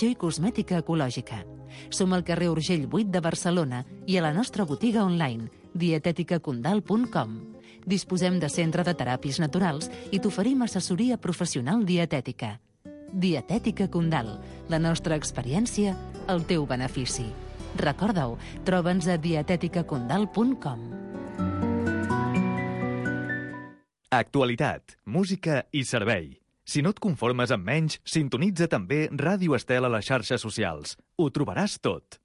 i cosmètica ecològica. Som al carrer Urgell 8 de Barcelona i a la nostra botiga online, dieteticacondal.com. Disposem de centre de teràpies naturals i t'oferim assessoria professional dietètica. Dietètica Condal, la nostra experiència, el teu benefici. Recorda-ho, troba'ns a dieteticacondal.com. Actualitat, música i servei. Si no et conformes amb menys, sintonitza també Ràdio Estel a les xarxes socials. Ho trobaràs tot.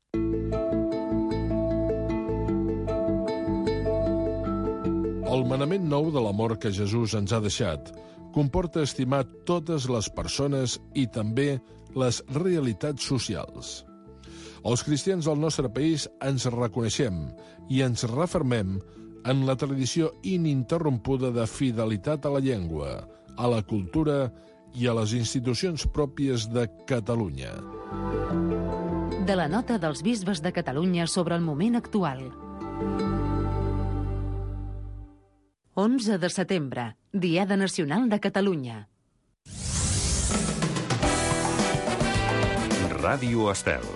El manament nou de l'amor que Jesús ens ha deixat comporta estimar totes les persones i també les realitats socials. Els cristians del nostre país ens reconeixem i ens refermem en la tradició ininterrompuda de fidelitat a la llengua, a la cultura i a les institucions pròpies de Catalunya. De la nota dels bisbes de Catalunya sobre el moment actual. 11 de setembre, Diada Nacional de Catalunya. Ràdio Estel.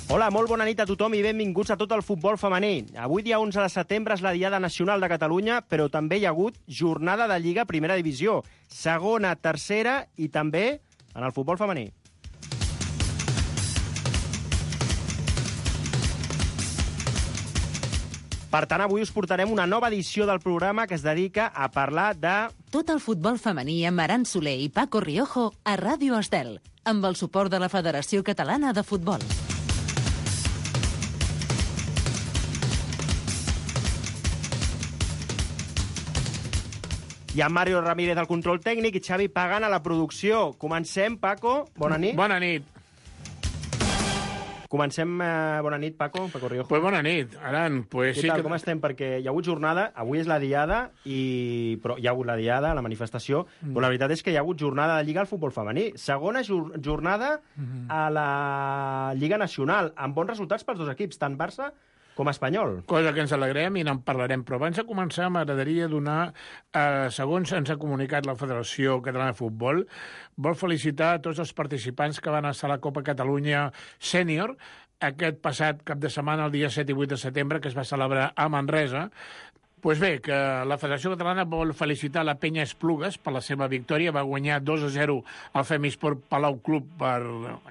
Hola, molt bona nit a tothom i benvinguts a tot el futbol femení. Avui, dia 11 de setembre, és la Diada Nacional de Catalunya, però també hi ha hagut jornada de Lliga Primera Divisió, segona, tercera i també en el futbol femení. Per tant, avui us portarem una nova edició del programa que es dedica a parlar de... Tot el futbol femení amb Aran Soler i Paco Riojo a Ràdio Estel, amb el suport de la Federació Catalana de Futbol. Hi ha Mario Ramírez al control tècnic i Xavi Pagan a la producció. Comencem, Paco. Bona nit. Bona nit. Comencem, bona nit, Paco Riojo. Pues bona nit, Aran. Pues Què tal, com estem? Perquè hi ha hagut jornada, avui és la Diada, però hi ha hagut la Diada, la manifestació, però la veritat és que hi ha hagut jornada de Lliga al futbol femení. Segona jornada a la Lliga Nacional, amb bons resultats pels dos equips, tant Barça com Espanyol. Cosa que ens alegrem i n'en parlarem. Però abans de començar m'agradaria donar, segons ens ha comunicat la Federació Catalana de Futbol, vol felicitar a tots els participants que van estar a la Copa Catalunya Sènior aquest passat cap de setmana, el dia 7 i 8 de setembre, que es va celebrar a Manresa. Pues bé, que la Federació Catalana vol felicitar la Penya Esplugues per la seva victòria. Va guanyar 2-0 al Femisport Palau Club per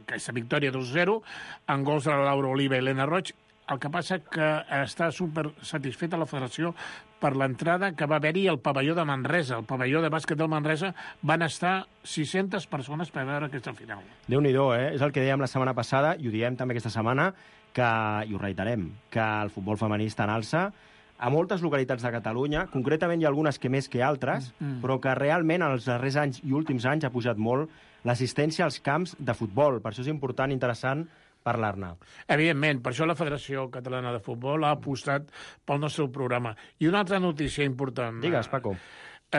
aquesta victòria 2-0, en gols de la Laura Oliva i Helena Roig. El que passa que està super satisfeta la federació per l'entrada que va haver-hi al pavelló de Manresa. El pavelló de bàsquet del Manresa van estar 600 persones per veure aquesta final. Déu-n'hi-do, És el que dèiem la setmana passada, i ho diem també aquesta setmana, i ho reiterem, que el futbol femení està en alça a moltes localitats de Catalunya, concretament hi ha algunes que més que altres, però que realment en els darrers anys i últims anys ha pujat molt l'assistència als camps de futbol. Per això és important, interessant, parlar-ne. Evidentment, per això la Federació Catalana de Futbol ha apostat pel nostre programa. I una altra notícia important. Digues, Paco.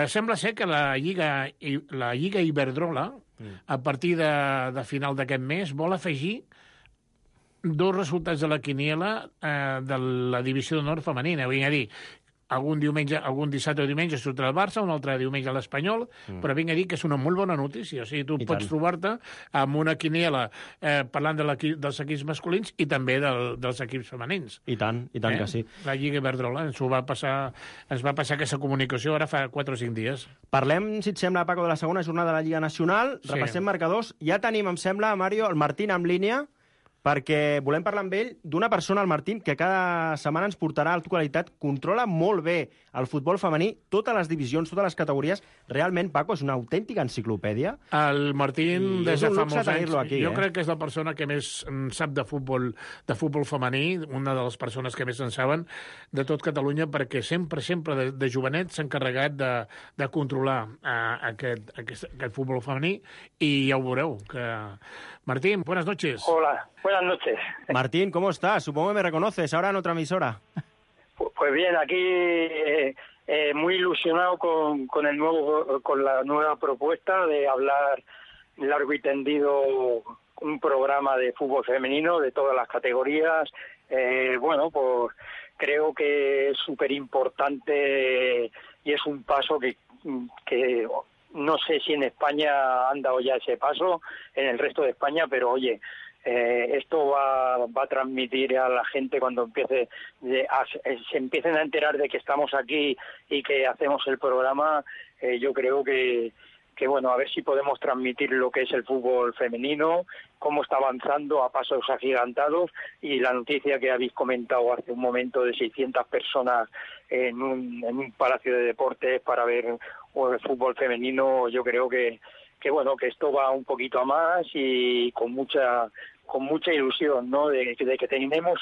Sembla ser que la Lliga Iberdrola, a partir de final d'aquest mes, vol afegir dos resultats de la quiniela de la divisió d'honor femenina. Vull dir, algun dissabte o diumenge sortirà el Barça, un altre diumenge l'Espanyol, però vinc a dir que és una molt bona notícia. O sigui, tu pots trobar-te amb una quiniela parlant dels equips masculins i també dels equips femenins. I tant que sí. La Lliga Iberdrola ens va passar aquesta comunicació ara fa 4 o 5 dies. Parlem, si et sembla, Paco, de la segona jornada de la Lliga Nacional. Sí. Repassem marcadors. Ja tenim, em sembla, Mario, el Martín en línia, perquè volem parlar amb ell d'una persona, el Martín, que cada setmana ens portarà a l'actualitat, controla molt bé el futbol femení, totes les divisions, totes les categories. Realment, Paco, és una autèntica enciclopèdia. El Martín, des de fa molts anys, aquí, jo crec que és la persona que més sap de futbol femení, una de les persones que més en saben de tot Catalunya, perquè sempre de jovenet s'ha encarregat de controlar aquest futbol femení, i ja ho veureu, que... Martín, buenas noches. Hola, buenas noches. Martín, ¿cómo estás? Supongo que me reconoces ahora en otra emisora. Pues bien, aquí muy ilusionado con la nueva propuesta de hablar largo y tendido un programa de fútbol femenino de todas las categorías. Bueno, pues creo que es súper importante y es un paso que no sé si en España han dado ya ese paso, en el resto de España, pero oye, esto va a transmitir a la gente cuando se empiecen a enterar de que estamos aquí y que hacemos el programa. Yo creo que bueno, a ver si podemos transmitir lo que es el fútbol femenino, cómo está avanzando a pasos agigantados, y la noticia que habéis comentado hace un momento de 600 personas en un palacio de deportes para ver el fútbol femenino. Yo creo que bueno, que esto va un poquito a más y con mucha ilusión, ¿no? De que tenemos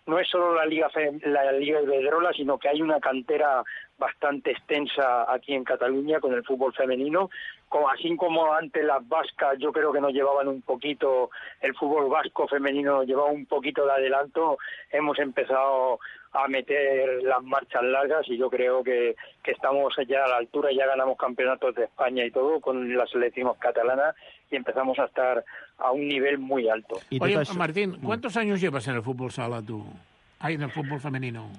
no es solo la Liga Iberdrola, sino que hay una cantera bastante extensa aquí en Cataluña con el fútbol femenino, así como antes las vascas, yo creo que nos llevaban un poquito, el fútbol vasco femenino llevaba un poquito de adelanto. Hemos empezado a meter las marchas largas y yo creo que estamos ya a la altura, ya ganamos campeonatos de España y todo con la selección catalana y empezamos a estar a un nivel muy alto. Oye, Martín, ¿cuántos años llevas en el fútbol sala tú? En el fútbol femenino.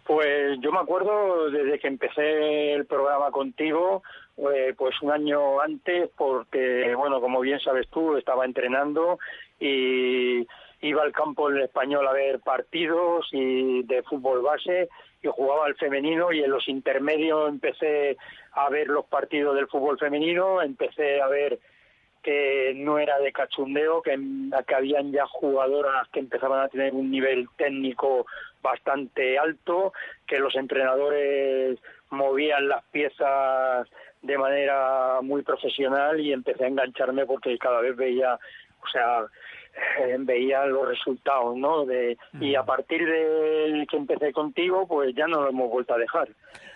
Pues yo me acuerdo desde que empecé el programa contigo, pues un año antes, porque, bueno, como bien sabes tú, estaba entrenando y iba al campo del Español a ver partidos y de fútbol base y jugaba al femenino, y en los intermedios empecé a ver los partidos del fútbol femenino, empecé a ver que no era de cachondeo, que habían ya jugadoras que empezaban a tener un nivel técnico bastante alto, que los entrenadores movían las piezas de manera muy profesional, y empecé a engancharme porque cada vez veía los resultados, ¿no? Y a partir de que empecé contigo, pues ya no lo hemos vuelto a dejar.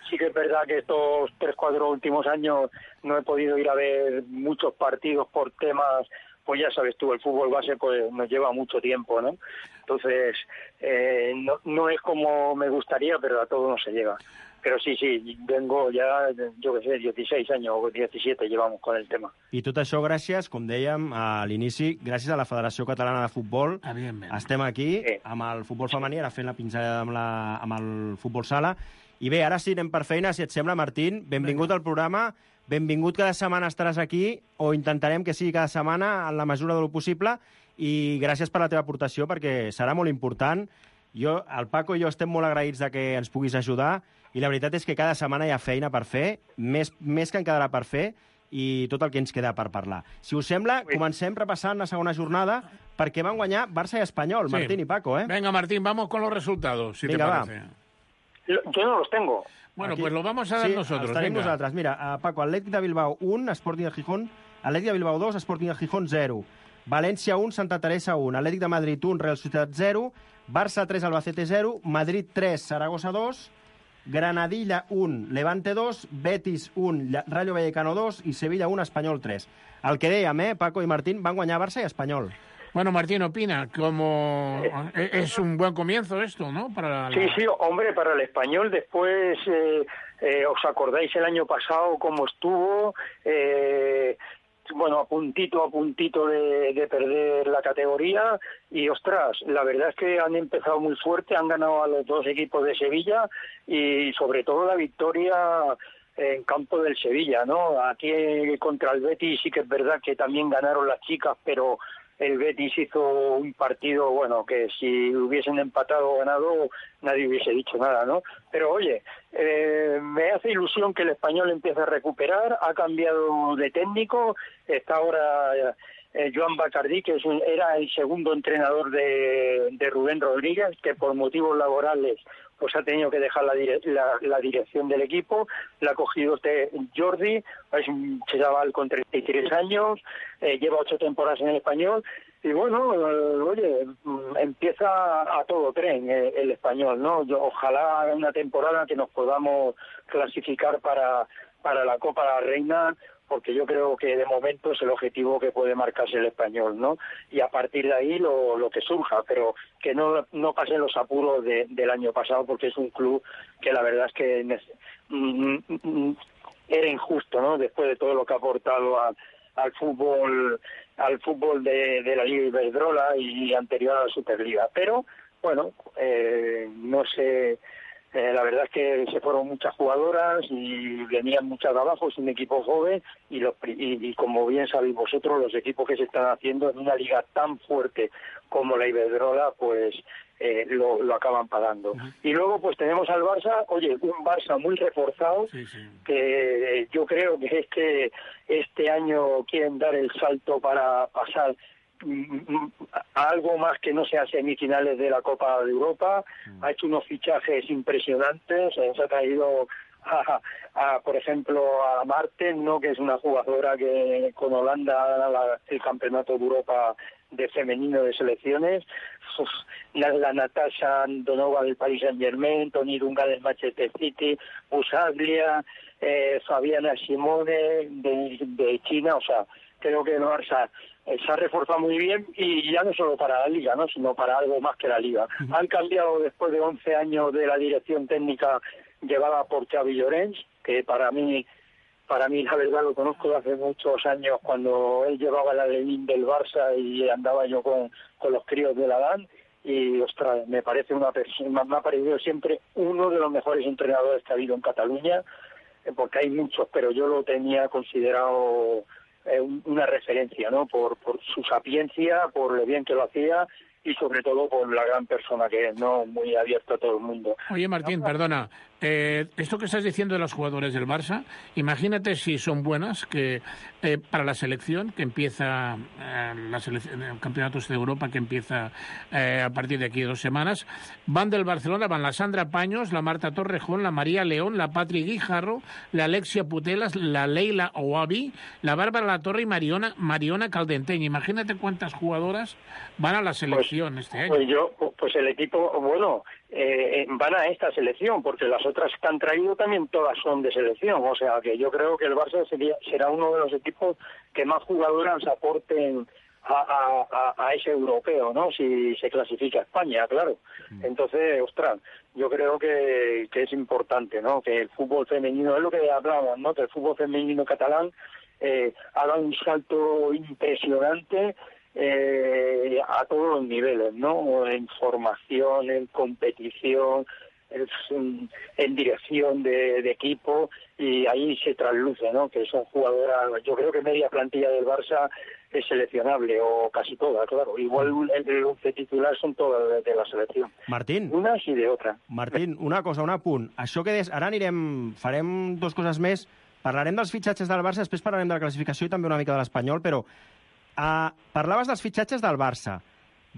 Sí que es verdad que estos 3-4 últimos años no he podido ir a ver muchos partidos por temas, pues ya sabes tú, el fútbol base pues nos lleva mucho tiempo, ¿no? Entonces, no es como me gustaría, pero a todo no se llega. Pero sí, vengo ja, jo què sé, 16 anys o 17 llevamos con el tema. I tot això gràcies, com dèiem a l'inici, gràcies a la Federació Catalana de Futbol. Estem aquí amb el futbol femení, ara fent la pinzellada amb el futbol sala. I bé, ara sí, anem per feina, si et sembla, Martín. Benvingut al programa, benvingut cada setmana estaràs aquí, o intentarem que sigui cada setmana en la mesura del possible, i gràcies per la teva aportació, perquè serà molt important. El Paco i jo estem molt agraïts de que ens puguis ajudar, i la veritat és que cada setmana hi ha feina per fer, més que en quedarà per fer, i tot el que ens queda per parlar. Si us sembla, comencem repassant la segona jornada, perquè van guanyar Barça i Espanyol, Martín i Paco, ¿eh? Venga, Martín, vamos con los resultados, si te parece. Yo no los tengo. Bueno, aquí, pues los vamos a dar nosotros. Estarem nosaltres. Mira, Paco, Atlètic de Bilbao 1, Sporting de Gijón, Atlètic de Bilbao 2, Sporting de Gijón 0, València 1, Santa Teresa 1, Atlètic de Madrid 1, Real Societat 0, Barça 3, Albacete 0, Madrid 3, Saragossa 2, Granadilla 1, Levante 2, Betis 1, Rayo Vallecano 2 i Sevilla 1, Espanyol 3. El que dèiem, Paco i Martín, van guanyar Barça i Espanyol. Bueno, Martín, opina, como es un buen comienzo esto, ¿no? Sí, hombre, para el Español. Después, ¿os acordáis el año pasado cómo estuvo? Bueno, a puntito de perder la categoría, y ostras, la verdad es que han empezado muy fuerte, han ganado a los dos equipos de Sevilla, y sobre todo la victoria en campo del Sevilla, ¿no? Aquí contra el Betis sí que es verdad que también ganaron las chicas, pero el Betis hizo un partido, bueno, que si hubiesen empatado o ganado nadie hubiese dicho nada, ¿no? Pero oye, me hace ilusión que el Español empiece a recuperar, ha cambiado de técnico, está ahora Joan Bacardí, que era el segundo entrenador de Rubén Rodríguez, que por motivos laborales pues ha tenido que dejar la dirección del equipo. La ha cogido Jordi, es un chaval con 33 años, lleva 8 temporadas en el Español, y bueno, oye, empieza a todo tren el Español, ¿no? Ojalá haga una temporada que nos podamos clasificar para para la Copa de la Reina, porque yo creo que de momento es el objetivo que puede marcarse el Español, ¿no? Y a partir de ahí lo que surja, pero que no pasen los apuros del año pasado, porque es un club que la verdad es que era injusto, ¿no? Después de todo lo que ha aportado al fútbol de la Liga Iberdrola y anterior a la Superliga. Pero, bueno, no sé... la verdad es que se fueron muchas jugadoras y venían muchas de abajo, es un equipo joven y como bien sabéis vosotros, los equipos que se están haciendo en una liga tan fuerte como la Iberdrola, pues lo acaban pagando. Y luego pues tenemos al Barça, un Barça muy reforzado, que yo creo que es que este año quieren dar el salto para pasar a algo más que no sea semifinales de la Copa de Europa. Ha hecho unos fichajes impresionantes, se ha traído por ejemplo a Marten, ¿no? Que es una jugadora que con Holanda gana el campeonato de Europa de femenino de selecciones, la Natasha Donova del Paris Saint-Germain, Toni Dunga del Manchester City, Busaglia, Fabiana Simone de China. O sea, creo que el Barça se ha reforzado muy bien, y ya no solo para la Liga, ¿no? Sino para algo más que la Liga. Han cambiado después de 11 años de la dirección técnica llevada por Xavi Llorens, que para mí la verdad lo conozco de hace muchos años, cuando él llevaba la Lenin del Barça y andaba yo con los críos de la Dan, y ostras, me ha parecido siempre uno de los mejores entrenadores que ha habido en Cataluña, porque hay muchos, pero yo lo tenía considerado una referencia, ¿no? Por su sapiencia, por lo bien que lo hacía y sobre todo por la gran persona que es, ¿no? Muy abierto a todo el mundo. Oye, Martín, perdona, esto que estás diciendo de los jugadores del Barça, imagínate si son buenas, que para la selección, que empieza el Campeonato de Europa, que empieza a partir de aquí 2 semanas, van del Barcelona, van la Sandra Paños, la Marta Torrejón, la María León, la Patri Guijarro, la Alexia Putelas, la Leila Ouabi, la Bárbara Latorre y Mariona Caldenteña. Imagínate cuántas jugadoras van a la selección este año. Pues el equipo, van a esta selección, porque las otras que han traído también todas son de selección. O sea que yo creo que el Barça será uno de los equipos que más jugadoras aporten a ese europeo, ¿no? Si se clasifica España, claro. Entonces, ostras, yo creo que es importante, ¿no? Que el fútbol femenino, es lo que hablábamos, ¿no? Que el fútbol femenino catalán ha dado un salto impresionante a todos los niveles, ¿no? En formación, en competición, en dirección de equipo, y ahí se trasluce, ¿no? Que son jugadoras. Yo creo que media plantilla del Barça es seleccionable, o casi toda, claro. Igual el 11 titular son todas de la selección. Martín. Unes i d'altres. Martín, una cosa, un apunt. Això que des... Ara farem 2 coses més. Parlarem dels fitxatges del Barça, després parlarem de la classificació i també una mica de l'Espanyol, però parlaves dels fitxatges del Barça.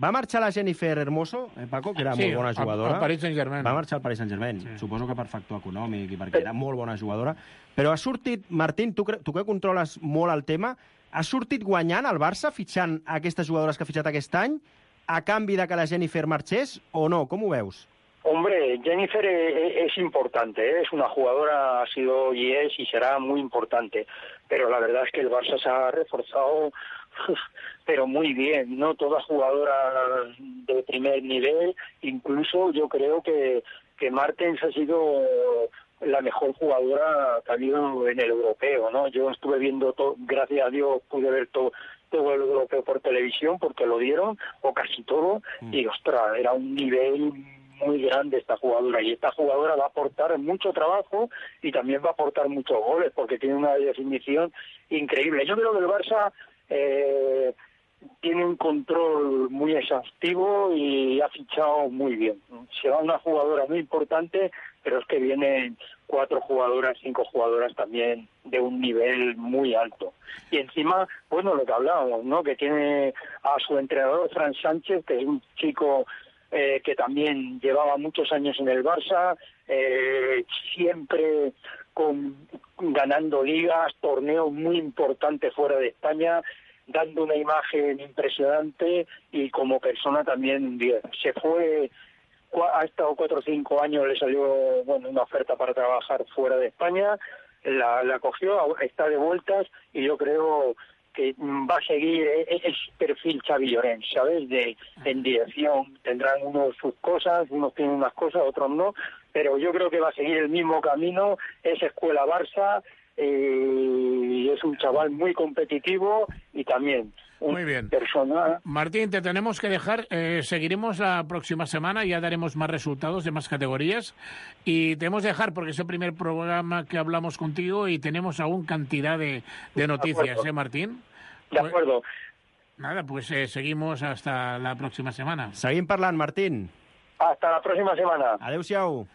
Va marxar la Jennifer Hermoso, Paco, que era molt bona jugadora. Al Paris Saint-Germain. Va marxar al Paris Saint-Germain. Sí. Suposo que per factor econòmic i perquè era molt bona jugadora. Però ha sortit, Martín, tu que controles molt el tema, ha sortit guanyant el Barça fitxant aquestes jugadores que ha fitxat aquest any a canvi de que la Jennifer marxés o no? Com ho veus? Hombre, Jennifer es importante, ¿eh? Es una jugadora, ha sido y es y será muy importante, pero la verdad es que el Barça se ha reforzado pero muy bien, ¿no? Todas jugadoras de primer nivel, incluso yo creo que Martens ha sido la mejor jugadora que ha habido en el europeo, ¿no? Yo estuve viendo todo, gracias a Dios pude ver todo el europeo por televisión porque lo dieron, o casi todo, y ostras, era un nivel muy grande esta jugadora, y esta jugadora va a aportar mucho trabajo y también va a aportar muchos goles porque tiene una definición increíble. Yo creo que el Barça tiene un control muy exhaustivo y ha fichado muy bien. Se va una jugadora muy importante, pero es que vienen 4 jugadoras, 5 jugadoras también de un nivel muy alto. Y encima, bueno, lo que hablábamos, ¿no? Que tiene a su entrenador, Fran Sánchez, que es un chico que también llevaba muchos años en el Barça, siempre ganando ligas, torneos muy importantes fuera de España, dando una imagen impresionante, y como persona también bien. Se fue, ha estado 4 o 5 años, le salió una oferta para trabajar fuera de España, la cogió, está de vueltas y yo creo que va a seguir el perfil Xavi Llorens, ¿sabes? En dirección, tendrán unos sus cosas, unos tienen unas cosas, otros no, pero yo creo que va a seguir el mismo camino, es escuela Barça, y es un chaval muy competitivo y también muy bien. Persona. Martín, te tenemos que dejar. Seguiremos la próxima semana, ya daremos más resultados de más categorías. Y tenemos que dejar porque es el primer programa que hablamos contigo y tenemos aún cantidad de noticias, Martín? De acuerdo. Nada, pues seguimos hasta la próxima semana. Seguim parlant, Martín. Hasta la próxima semana. Adéu-siau.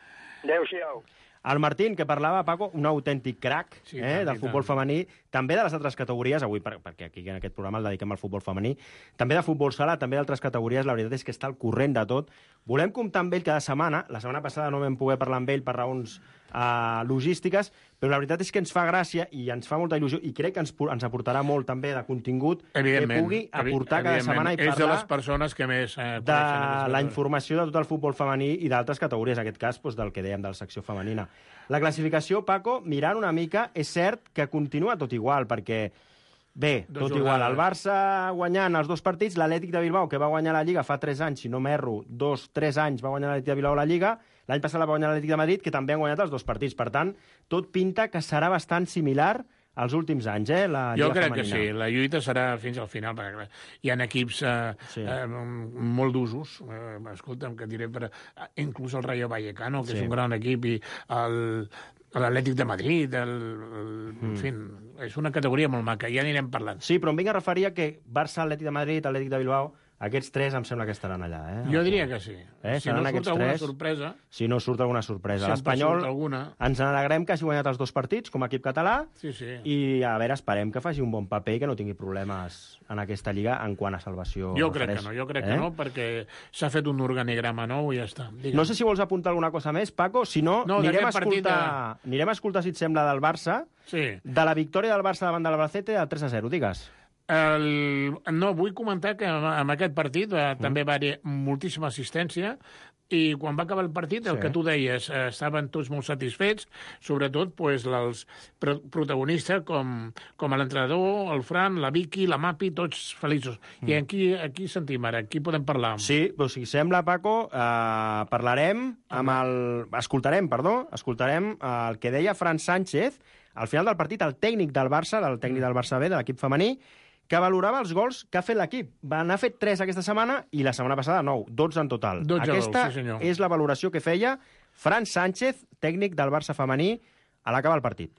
Adéu-siau. El Martín, que parlava, Paco, un autèntic crac del futbol femení, també de les altres categories, avui perquè aquí en aquest programa el dediquem al futbol femení, també de futbol sala, també d'altres categories, la veritat és que està al corrent de tot. Volem comptar amb ell cada setmana, la setmana passada no vam poder parlar amb ell per raons logístiques, però la veritat és que ens fa gràcia i ens fa molta il·lusió i crec que ens aportarà molt també de contingut que pugui aportar cada setmana i parlar de les persones que més de la informació de tot el futbol femení i d'altres categories, en aquest cas del que dèiem de la secció femenina. La classificació, Paco, mirant una mica, és cert que continua tot igual, perquè bé, tot igual, el Barça guanyant els 2 partits, l'Atlètic de Bilbao, que va guanyar la Lliga fa 3 anys, si no m'erro, 2-3 anys va guanyar l'Atlètic de Bilbao la Lliga, l'any passat la va guanyar l'Atlètic de Madrid, que també han guanyat els 2 partits. Per tant, tot pinta que serà bastant similar als últims anys, la Lliga femenina. Jo crec que sí, la lluita serà fins al final, perquè hi ha equips molt d'usos, escolta'm, que diré, inclús el Rayo Vallecano, que és un gran equip, i l'Atlètic de Madrid, en fi, és una categoria molt maca, ja anirem parlant. Sí, però em vinc a referir a que Barça, Atlètic de Madrid, Atlètic de Bilbao, aquests 3 em sembla que estaran allà. Jo diria que sí. Si no surt alguna 3, sorpresa... Si no surt alguna sorpresa. L'Espanyol ens n'alegrem que hagi guanyat els 2 partits com a equip català i a veure, esperem que faci un bon paper i que no tingui problemes en aquesta lliga en quant a salvació. Jo crec que no, perquè s'ha fet un organigrama nou i ja està. No sé si vols apuntar alguna cosa més, Paco, si no, anirem a escoltar, si et sembla, del Barça, de la victòria del Barça davant de l'Albacete del 3-0, digues. No, vull comentar que en aquest partit també va haver moltíssima assistència i quan va acabar el partit, el que tu deies, estaven tots molt satisfets, sobretot els protagonistes com l'entrenador, el Fran, la Vicky, la Mapi, tots feliços. I aquí sentim ara, aquí podem parlar. Sí, però si sembla, Paco, escoltarem el que deia Fran Sánchez al final del partit, el tècnic del Barça B, de l'equip femení, que valorava els gols que ha fet l'equip. N'ha fet 3 aquesta setmana i la setmana passada 9, 12 en total. Aquesta és la valoració que feia Fran Sánchez, tècnic del Barça femení, a l'acabar el partit.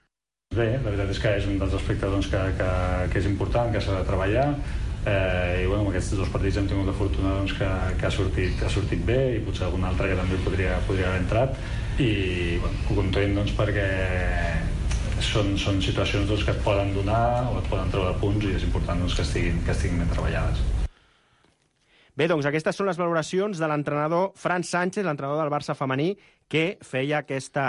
Bé, la veritat és que és un dels aspectes que és important, que s'ha de treballar, i amb aquests 2 partits hem tingut la fortuna que ha sortit bé i potser algun altre que també podria haver entrat i content perquè són situacions que et poden donar o et poden treure punts i és important que estiguin ben treballades. Bé, doncs aquestes són les valoracions de l'entrenador Fran Sánchez, l'entrenador del Barça femení, que feia aquesta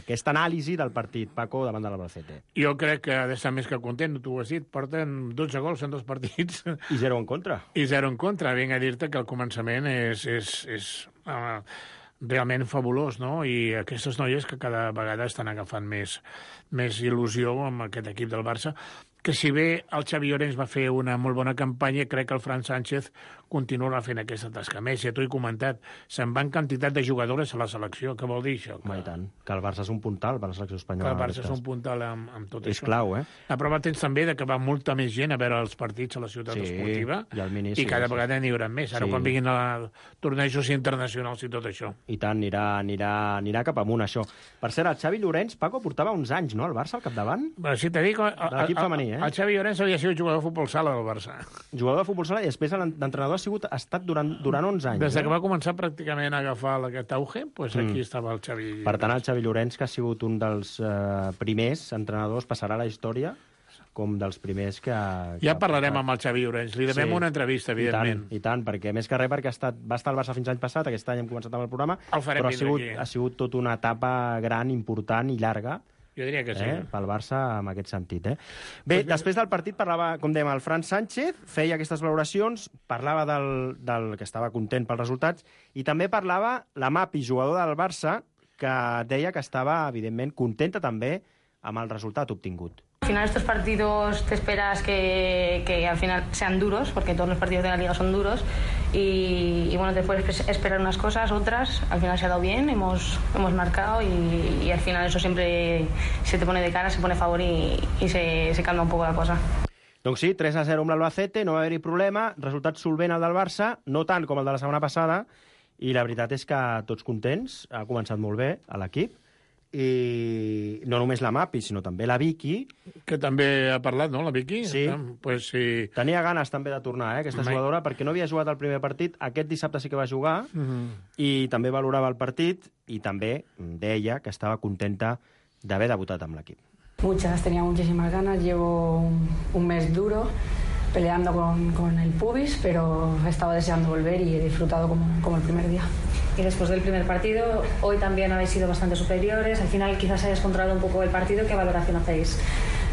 anàlisi del partit, Paco, davant de l'Albacete. Jo crec que ha d'estar més que content, tu ho has dit, porten 12 gols en 2 partits. I 0 en contra. I 0 en contra. Vinc a dir-te que el començament és realment fabulós, no? I aquestes noies que cada vegada estan agafant més il·lusió amb aquest equip del Barça, que si bé el Xavi Llorens va fer una molt bona campanya, crec que el Fran Sánchez continuarà fent aquesta tasca. Més, ja t'ho he comentat, se'n van quantitat de jugadores a la selecció. Què vol dir això? I tant, que el Barça és un puntal per la selecció espanyola. Que el Barça és un puntal amb tot això. És clau, La prova tens també que va molta més gent a veure els partits a la ciutat esportiva i cada vegada n'hi haurà més. Ara quan vinguin a tornejos internacionals i tot això. I tant, anirà cap amunt, això. Per cert, el Xavi Llorens, Paco, portava uns anys, no?, al Barça, al capdavant? Sí, t'he dit que l'equip femení, el Xavi Llorens havia sigut jugador de futbol sala del Barça. Jugador de futbol sala i després l'entrenador ha estat durant 11 anys. Des que va començar pràcticament a agafar aquest auge, aquí estava el Xavi Llorens. Per tant, el Xavi Llorens, que ha sigut un dels primers entrenadors, passarà a la història com dels primers que... Ja parlarem amb el Xavi Llorens, li devem una entrevista, evidentment. I tant, perquè més que res perquè va estar al Barça fins l'any passat, aquest any hem començat amb el programa, però ha sigut tota una etapa gran, important i llarga. Jo diria que sí. Pel Barça, en aquest sentit. Bé, després del partit parlava, com dèiem, el Fran Sánchez, feia aquestes valoracions, parlava del que estava content pels resultats, i també parlava la Mapi, jugador del Barça, que deia que estava, evidentment, contenta també amb el resultat obtingut. Al final estos partidos te esperas que al final sean duros, porque todos los partidos de la Liga son duros, y bueno, te puedes esperar unas cosas, otras, al final se ha dado bien, hemos marcado y al final eso siempre se te pone de cara, se pone a favor y se calma un poco la cosa. Doncs sí, 3-0 amb l'Albacete, no va haver-hi problema, resultat solvent el del Barça, no tant com el de la setmana passada, i la veritat és que tots contents, ha començat molt bé a l'equip, i no només la Mapi, sinó també la Vicky. Que també ha parlat, no, la Vicky? Sí. Pues sí. Tenia ganes també de tornar, aquesta jugadora, perquè no havia jugat el primer partit. Aquest dissabte sí que va jugar, i també valorava el partit, i també deia que estava contenta d'haver debutat amb l'equip. Muchas, tenía muchísimas ganas, llevo un mes duro peleando con el pubis, pero estaba deseando volver y he disfrutado como el primer día. Y después del primer partido, hoy también habéis sido bastante superiores, al final quizás hayas controlado un poco el partido, ¿qué valoración hacéis?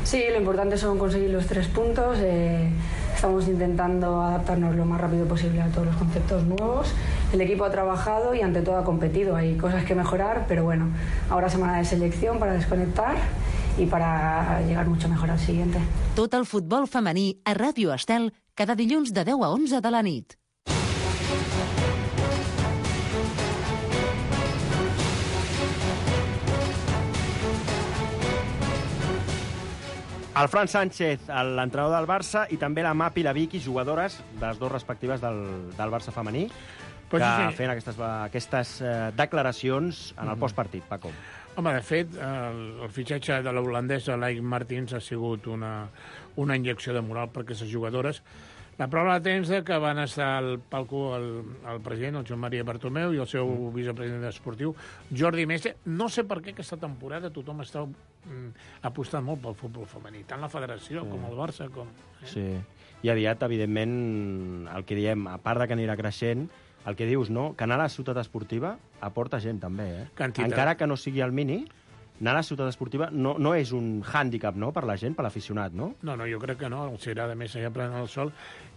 Sí, lo importante son conseguir los 3 puntos, estamos intentando adaptarnos lo más rápido posible a todos los conceptos nuevos, el equipo ha trabajado y ante todo ha competido, hay cosas que mejorar, pero bueno, ahora semana de selección para desconectar i para llegar mucho mejor al siguiente. Tot el futbol femení a Ràdio Estel cada dilluns de 10 a 11 de la nit. El Fran Sánchez, l'entrenador del Barça, i també la Mapi i la Vicky, jugadores de les dues respectives del Barça femení, que feien aquestes declaracions en el postpartit, Paco. Home, de fet, el fitxatge de l'holandesa Laik Martins ha sigut una injecció de moral per aquestes jugadores. La prova de temps que van estar al palco el president, el Joan Maria Bartomeu, i el seu vicepresident esportiu, Jordi Mestre. No sé per què aquesta temporada tothom està apostant molt pel futbol femení, tant la federació com el Barça. Sí, i aviat, evidentment, el que diem, a part de que anirà creixent, el que dius, no? Que anar a la ciutat esportiva aporta gent, també, eh? Quantitat. Encara que no sigui al mini, anar a la ciutat esportiva no és un hàndicap, no?, per la gent, per l'aficionat, no? No, jo crec que no. Els agrada més allà plenant el sol.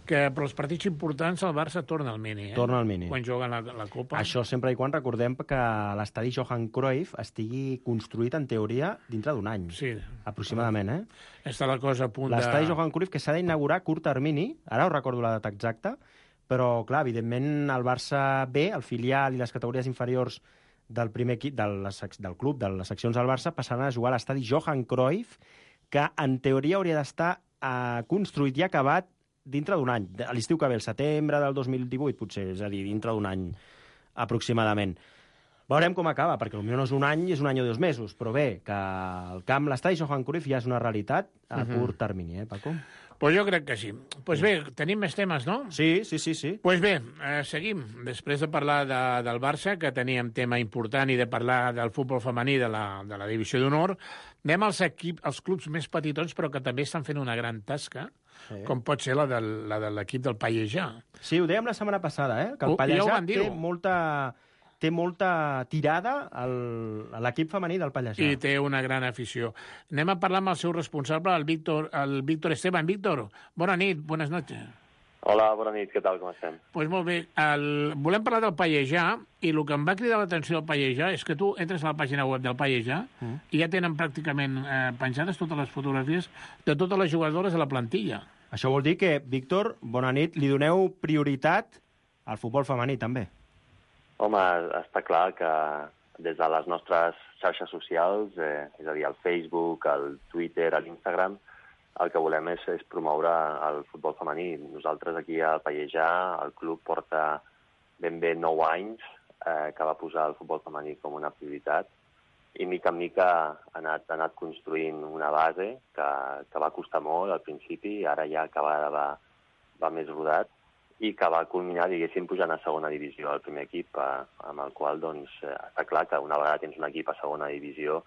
Que per als partits importants el Barça torna al mini, eh? Torna al mini. Quan juguen la Copa. Això sempre i quan recordem que l'estadi Johan Cruyff estigui construït, en teoria, dintre d'un any. Sí. Aproximadament, eh? Està la cosa a punt de... L'estadi Johan Cruyff, que s'ha d'inaugurar a curt termini, ara ho recordo la data exacta, però, clar, evidentment, el Barça B, el filial i les categories inferiors del primer equip, del club, de les seccions del Barça, passaran a jugar a l'estadi Johan Cruyff, que en teoria hauria d'estar construït i acabat dintre d'un any, a l'estiu que ve, el setembre del 2018, potser, és a dir, dintre d'un any aproximadament. Veurem com acaba, perquè potser no és un any, és un any o 2 mesos, però bé, que el camp, l'estadi Johan Cruyff ja és una realitat a curt termini, Paco? Pues jo crec que sí. Pues bé, tenim més temes, no? Sí. Pues bé, seguim. Després de parlar del Barça, que teníem tema important, i de parlar del futbol femení de la divisió d'honor, anem als clubs més petitons, però que també estan fent una gran tasca, com pot ser la de l'equip del Pallejà. Sí, ho dèiem la setmana passada, que el Pallejà té molta tirada a l'equip femení del Pallejà. I té una gran afició. Anem a parlar amb el seu responsable, el Víctor Esteban. Víctor, bona nit, buenas noches. Hola, bona nit, què tal, com estem? Pues molt bé. Volem parlar del Pallejà, i el que em va cridar l'atenció del Pallejà és que tu entres a la pàgina web del Pallejà i ja tenen pràcticament penjades totes les fotografies de totes les jugadores de la plantilla. Això vol dir que, Víctor, bona nit, li doneu prioritat al futbol femení, també. Home, està clar que des de les nostres xarxes socials, és a dir, el Facebook, el Twitter, l'Instagram, el que volem és promoure el futbol femení. Nosaltres aquí al Pallejà, el club porta ben bé 9 anys que va posar el futbol femení com una prioritat, i mica en mica ha anat construint una base que va costar molt al principi, i ara ja cada vegada va més rodat, i que va culminar, diguéssim, pujant a segona divisió, el primer equip, amb el qual, doncs, està clar que una vegada tens un equip a segona divisió,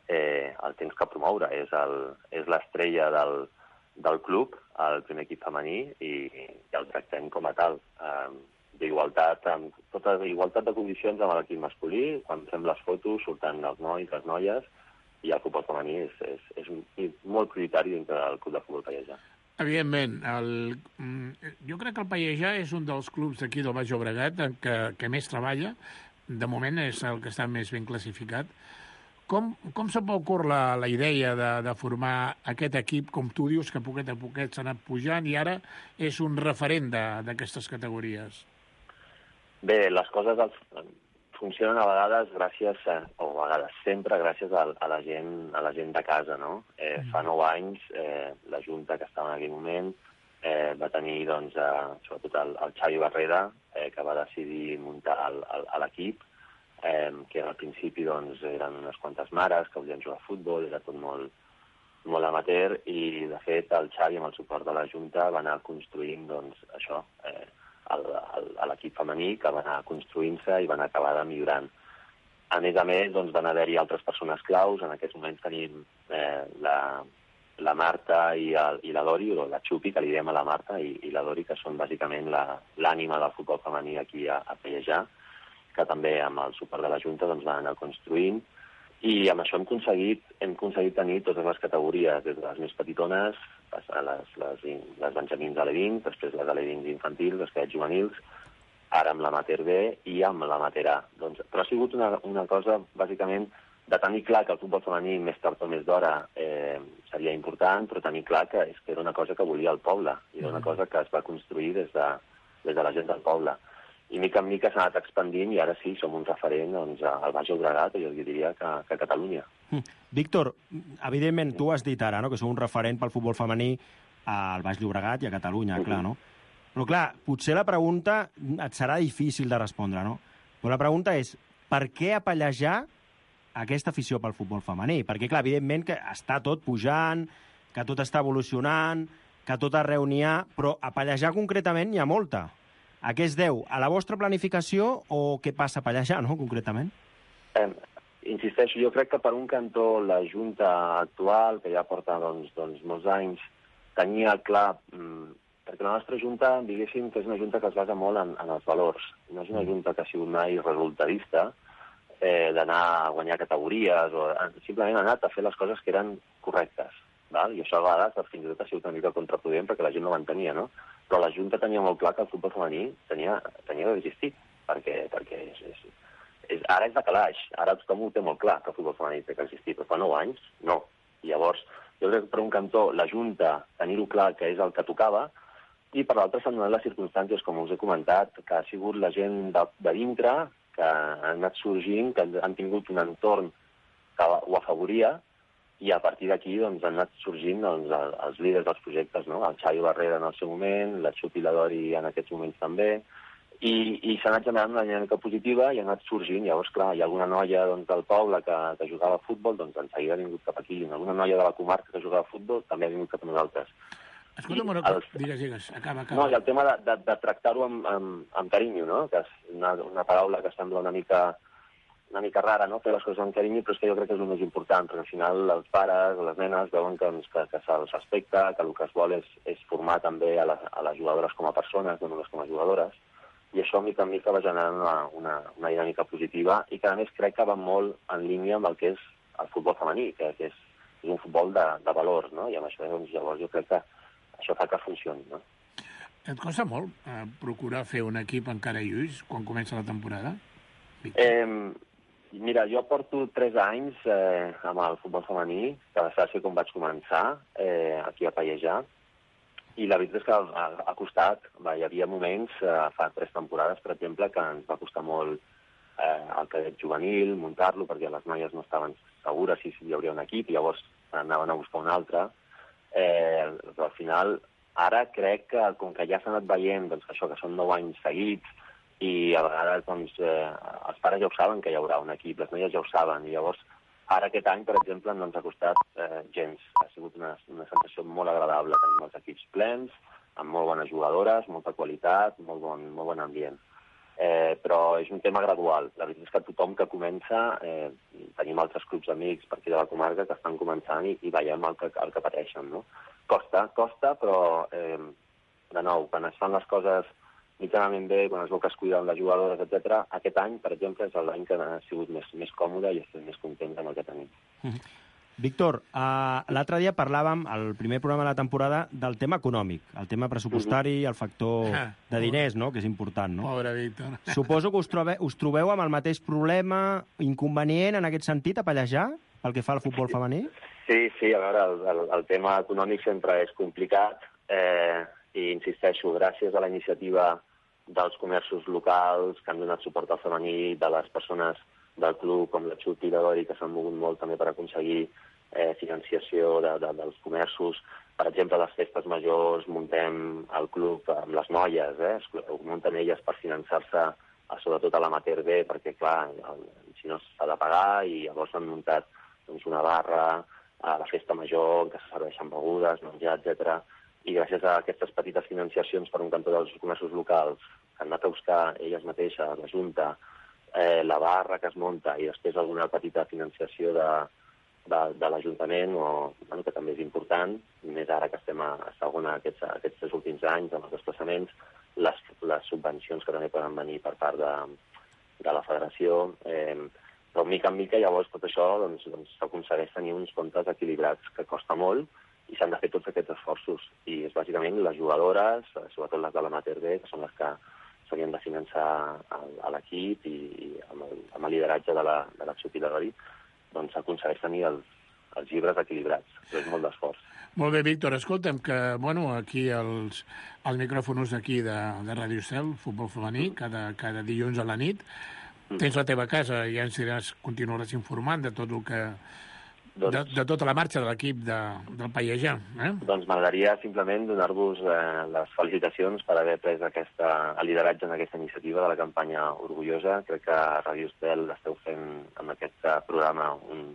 el tens que promoure. És l'estrella del club, el primer equip femení, i el tractem com a tal. D'igualtat, amb tota igualtat de condicions amb l'equip masculí, quan fem les fotos surten els nois, les noies, i el futbol femení és molt prioritari dintre del club de futbol Pallejà. Evidentment, jo crec que el Pallejà és un dels clubs d'aquí del Baix Llobregat que més treballa. De moment és el que està més ben classificat. Com se m'ocorre la idea de formar aquest equip, com tu dius, que a poquet s'ha anat pujant i ara és un referent d'aquestes categories? Bé, les coses funcionen a vegades o a vegades sempre gràcies a la gent de casa, no? Fa 9 anys, la Junta que estava en aquell moment va tenir, doncs, sobretot el Xavi Barrera, que va decidir muntar l'equip, que al principi doncs, eren unes quantes mares que volien jugar a futbol, era tot molt amateur, i de fet el Xavi, amb el suport de la Junta, va anar construint doncs, això, l'equip femení, que va anar construint-se i va anar acabar de millorant. A més, doncs, van haver-hi altres persones claus. En aquests moments tenim la Marta i la Dori, o la Xupi, que li diem a la Marta, i la Dori, que són bàsicament l'ànima del futbol femení aquí a Pallejà, que també amb el suport de la Junta doncs, van anar construint, i amb això hem aconseguit tenir totes les categories, des de les més petitones, les benjamins alevins, després les alevins infantils, les cadets juvenils, ara amb l'amateur B i amb l'amateur A. Doncs, però ha sigut una cosa, bàsicament, de tenir clar que el futbol femení més tard o més d'hora seria important, però tenir clar que era una cosa que volia el poble, i era una cosa que es va construir des de la gent del poble. I mica en mica s'ha anat expandint i ara sí, som un referent doncs, al Baix Llobregat, jo diria que a Catalunya. Víctor, evidentment tu has dit ara que sou un referent pel futbol femení al Baix Llobregat i a Catalunya, clar, no? Però clar, potser la pregunta et serà difícil de respondre, no? Però la pregunta és, per què apellejar aquesta afició pel futbol femení? Perquè, clar, evidentment que està tot pujant, que tot està evolucionant, que tot arreu n'hi ha, però apellejar concretament n'hi ha molta. A què es deu? A la vostra planificació o què passa a Pallejà, no, concretament? Insisteixo, jo crec que per un cantó la Junta actual, que ja porta doncs, molts anys, tenia clar, perquè la nostra Junta, diguéssim, que és una Junta que es basa molt en els valors. No és una Junta que ha sigut mai resultadista, d'anar a guanyar categories, o simplement ha anat a fer les coses que eren correctes. Val? I això a vegades fins i tot ha sigut una mica contraproduent perquè la gent no ho entenia, no? Però la Junta tenia molt clar que el futbol femení tenia d'existir, perquè ara és de calaix, ara tothom ho té molt clar que el futbol femení té que existir, però fa 9 anys no. I llavors, jo crec que per un cantó la Junta tenir-ho clar que és el que tocava, i per l'altre s'han donat les circumstàncies, com us he comentat, que ha sigut la gent de dintre, que han anat sorgint, que han tingut un entorn que ho afavoria, i a partir d'aquí doncs, han anat sorgint els líders dels projectes, no? El Xavi Barrera en el seu moment, la Xupi i la Dori en aquests moments també, i s'ha anat generant una dinàmica positiva i ha anat sorgint. Llavors, clar, hi ha alguna noia doncs, del poble que jugava a futbol, doncs en seguida ha vingut cap aquí. Alguna noia de la comarca que jugava a futbol també ha vingut cap a nosaltres. Escolta'm, digues, acaba. No, i el tema de tractar-ho amb carinyo, no? Que és una paraula que sembla una mica rara, no?, fer les coses amb carinyo, però és que jo crec que és el més important, perquè al final els pares o les nenes veuen que se'ls respecta, que el que es vol és formar també a les jugadores com a persones, no només com a jugadores, i això mica en mica va generant una dinàmica positiva i que a més crec que va molt en línia amb el que és el futbol femení, que és un futbol de valors, no?, i amb això doncs, llavors jo crec que això fa que funcioni, no? Et costa molt procurar fer un equip encara lluís quan comença la temporada? Mira, jo porto 3 anys amb el futbol femení, que va ser com vaig començar, aquí a Pallejà, i la veritat és que ha costat. Hi havia moments, fa 3 temporades, per exemple, que ens va costar molt el cadet juvenil, muntar-lo, perquè les noies no estaven segures si hi hauria un equip, i llavors anaven a buscar un altre. Però al final, ara crec que, com que ja s'ha anat veient doncs, això que són 9 anys seguits, i a vegades doncs, els pares ja ho saben que hi haurà un equip, les noies ja ho saben, i llavors ara aquest any, per exemple, no ens ha costat gens. Ha sigut una sensació molt agradable. Tenim els equips plens, amb molt bones jugadores, molta qualitat, molt bon ambient. Però és un tema gradual. La veritat és que tothom que comença, tenim altres clubs amics per aquí de la comarca que estan començant i veiem el que pateixen, no? Costa, però de nou, quan es fan les coses mitjanament bé, quan es veu que es cuiden les jugadores, etc. Aquest any, per exemple, és l'any que ha sigut més còmode i estem més contents amb el que tenim. Víctor, l'altre dia parlàvem, al primer programa de la temporada, del tema econòmic, el tema pressupostari, el factor de diners, no?, que és important, no? Pobre Víctor. Suposo que us trobeu amb el mateix problema, inconvenient, en aquest sentit, a Pallejà, pel que fa al futbol femení? Sí, a veure, el tema econòmic sempre és complicat i insisteixo, gràcies a la iniciativa dels comerços locals que han donat suport al femení, de les persones del club com la Xut i la Dori, que s'han mogut molt també per aconseguir financiació dels comerços. Per exemple, a les festes majors muntem el club amb les noies, ho munten elles per finançar-se, sobretot a l'amateur B, perquè, clar, si no s'ha de pagar, i llavors han muntat una barra a la festa major, que se serveixen begudes, menjar, etc. I gràcies a aquestes petites financiacions per un cantó dels comerços locals, que han anat a buscar elles mateixes, la Junta, la barra que es munta i després alguna petita financiació de l'Ajuntament, que també és important, més ara que estem a segona aquests 3 últims anys amb els desplaçaments, les subvencions que també poden venir per part de la federació, però mica en mica llavors tot això s'aconsegueix tenir uns comptes equilibrats, que costa molt, i s'han de fer tots aquests esforços. I és bàsicament les jugadores, sobretot les de l'amateur B, que són les que s'haurien de finançar a l'equip, i amb el lideratge de la Xut i la Dori, doncs s'aconsegueix tenir els llibres equilibrats. Però és molt d'esforç. Molt bé, Víctor. Escolta'm, que aquí els micròfons d'aquí de Ràdio Estel, futbol femení, cada dilluns a la nit, tens la teva casa i ja ens continuaràs informant de tot el que... De tota la marxa de l'equip del Pallejà. Doncs m'agradaria simplement donar-vos les felicitacions per haver pres el lideratge en aquesta iniciativa de la campanya Orgullosa. Crec que a Ràdio Estel esteu fent amb aquest programa un